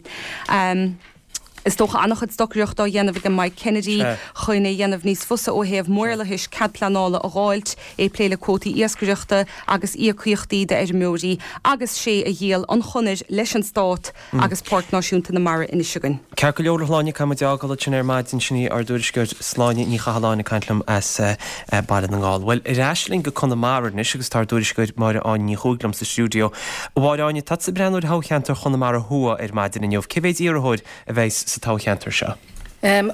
Is dócha an-chuid stocaireachta á dhéanamh aige Mike Kennedy chun é a dhéanamh níos fusa ó thaobh maorlathais cead pleanála a dh'fháilt, é ag plé le cuótaí iascaireachta agus íocaíochtaí d'fheirmeoirí agus sé a dhíol an chonair leis an Stát agus Páirc Náisiúnta na Mara anois againn. Ceart go leor a Shláine, caithfidh muid é a fhágáil ansin ar maidin, sin í ár dtuairisceoir Sláine Ní Chathalláin ag caint liom as Baile na nGall. Bhuel, ar ais linn go Conamara anois agus tá ár dtuairisceoir Máire Áine Ní Chuaig liom sa stiúideo. A Mháire Áine, tá tusa ag breathnú ar thoghcheantar Chonamara Thuaidh ar maidin inniu. Cé mhéid iarrthóir a bheas sa toghcheantar seo?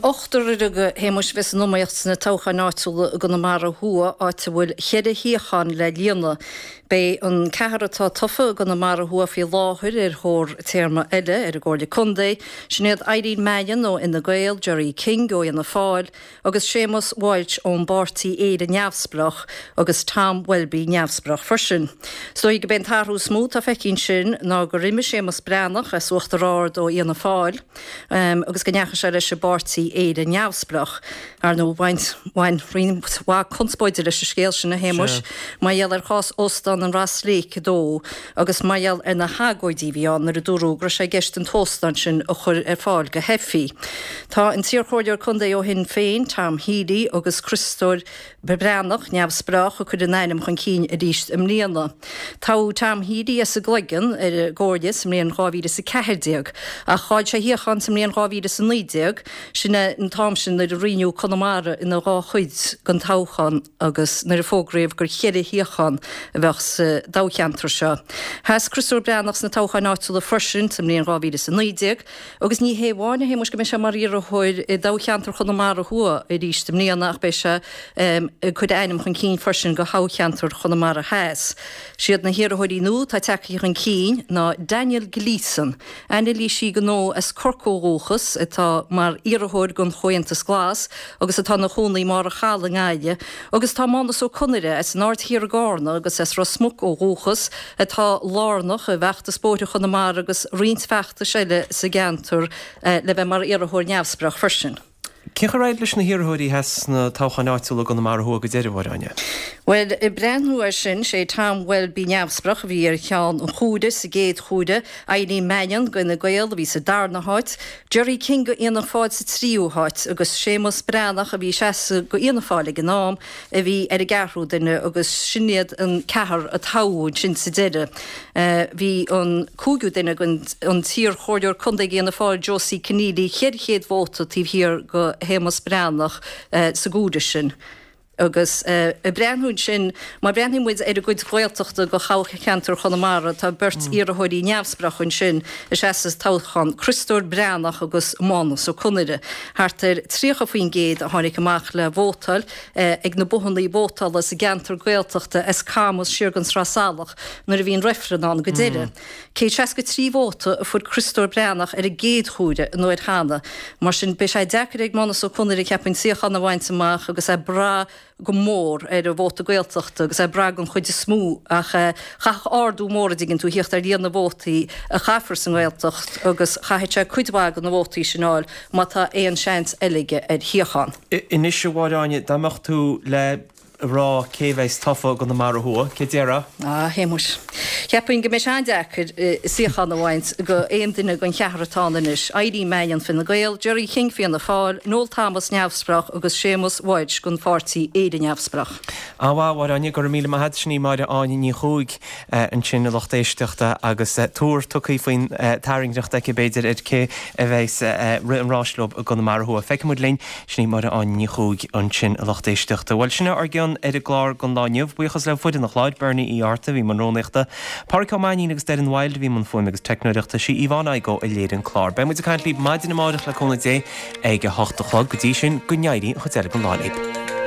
Ochtar uilig, a Shéamuis, a bheas san iomaíocht sna toghcháin áitiúla i gConamara Thuaidh, áit a bhfuil cheithre shuíochán le líonadh. Beidh an ceathrar atá tofa i gConamara Thuaidh faoi láthair ar thóir téarma eile ar an gComhairle Contae, sin iad Eileen Mannion ó Fhine Gael, Gerry King ó Fhianna Fáil, agus Séamus Walsh ón bpáirtí Éire Neamhspleách agus Tom Welby neamhspleách freisin. Is dóigh gurb é an t-athrú is mó atá feicthe ansin ná gur imigh Séamus Breathnach as Uachtar Ard ó Fhianna Fáil agus go ndeachaigh sé leis an bpáirtí Éire Neamhspleách. Ar ndóigh bhain bhain roinnt mhaith conspóide leis an scéal sin, a Shéamuis, mar gheall ar chás Óstán an Ross Lake 2 agus mar gheall ar na hagóidí a bhí ann nuair a dúradh go raibh sé i gceist an t-óstán sin a chur ar fáil go Heffi. Tá an t-iarchomhairleoir contae ó Shinn Féin, Tom Healy, agus Criostóir Breathnach, neamhspleách, ag cur a n-ainm chun cinn arís i mbliana. Toghadh Tom Healy as an gCloigeann ar an gComhairle sa mbliain 2014 ach chaill sé a shuíochán sa mbliain 2019, sin é an t-am sin nuair a roinneadh Conamara ina dhá chuid don toghchán. agus nuair a fógraíodh gur cheithre shuíochán a bheadh sa dtoghcheantar seo. Sheas Criostóir Breathnach sna toghcháin áitiúla freisin sa mbliain 2019 agus ní hé amháin, a Shéamuis, go mbeidh sé mar iarrthóir i dtoghcheantar Chonamara Thuaidh arís i mbliana ach beidh sé ag cur a ainm chun cinn freisin do thoghcheantar Chonamara Theas. Siad na hiarrthóirí nua atá tagtha chun cinn ná Daniel Gleeson, Anailísí gnó as Corcaigh ó dhúchas atá mar iarrthóir don Chomhaontas Glas agus atá ina chónaí i mBarr an Chalaidh i nGaillimh agus tá Mánus Ó Conaire as an Aird Thiar i gCarna agus as Ros Muc ó dhúchas atá lárnach i bhfeachtas Bóithre Chonamara agus roinnt feachtais eile sa gceantar le bheith mar iarrthóir neamhspleách freisin. Cén chaoi ar éirigh leis na hiarrthóirí a sheas sna toghcháin áitiúla i gConamara Thuaidh go deireadh, a Mháire Áine? Bhuel, ag breathnú air sin, sé Tom Welby neamhspleách a bhí ar cheann an chomhairimh sa gcéad chomhaireamh, Eileen Mannion d'Fhine Gael a bhí sa darna háit, Gerry King do Fhianna Fáil sa tríú háit agus Séamus Breathnach a bhí ag seasamh do Fhianna Fáil ag an am a bhí ar an gceathrú duine agus sin iad an ceathrar a toghadh ansin sa deireadh. Bhí an cúigiú duine, an t-iar-chomhairleoir contae d'Fhianna Fáil Josie Conneely, 400 vóta taobh thiar de Shéamus Breathnach sa gcomhaireamh sin. Agus ag breathnú ansin, má bhreathnaíonn muid ar an gcuid Ghaeltachta de thoghcheantar Chonamara, tá beirt iarrthóirí neamhspleácha ansin ag seasamh sa toghchán, Criostóir Breathnach agus Mánus Ó Conaire. Thart ar 30% a tháinig amach le vótáil ag na bothannaí vótála sa gceantar Gaeltachta as Camus siar gon Sraith Salach nuair a bhí an reifreann ann go deireadh. 163 vóta a fuair Criostóir Breathnach ar an gcéad chomhaireamh an uair cheana. Mar sin beidh sé deacair ag Mánus Ó Conaire cheapfainn suíochán a bhaint amach agus é ag brath. go mór ar an vóta Gaeltachta agus é ag brath don chuid is mó ach chaithfeadh ardú mór, an dtuigeann tú, a thíocht ar líon na vótaí a chaithfear sa nGaeltacht agus chaithfeadh sé cuid mhaith de na vótaí sin a fháil má tá aon seans eile aige ar shuíochán. Anois, a Mháire Áine, dá mbeadh tú le rá cé bheas tofa i gConamara Thuaidh, cé déarfá? A Shéamuis. Cheapfainn go mbeidh sé an-deacair suíochán a bhaint go aon duine den cheathrar atá ann anois, Irene Mannion, Fine Gael, Gerry King, Fianna Fáil, Noel Thomas, Neamhspleách, agus Séamus Walsh den pháirtí Éire Neamhspleách. An-mhaith, a Mháire Áine, go raibh míle maith agat. Sin í Máire Áine Ní Chuaig ansin, a lucht éisteachta, agus tuar tugtha faoin tairngreacht aici, b'fhéidir, ar cé a bheas ag rith an ráis leo i gConamara Thuaidh. Feicfidh muid linn. Sin í Máire Áine Ní Chuaig ansin, a lucht éisteachta. Bhuel, sin é ár gcion ar an gclár don lá inniu. Buíochas le foireann an chláir, Bernie Uí Fhátharta a bhí i mbun rúnaíochta, Páraic Ó Mainnín agus Doireann Wilde a bhí i mbun fuaime agus teicneoireachta, sí Yvonne Igoe a léirigh an clár. Beidh muid ag caint libh maidin amárach le cúnamh Dé ag a hocht a chlog. Go dtí sin, go n-éirí an chuid eile den lá libh.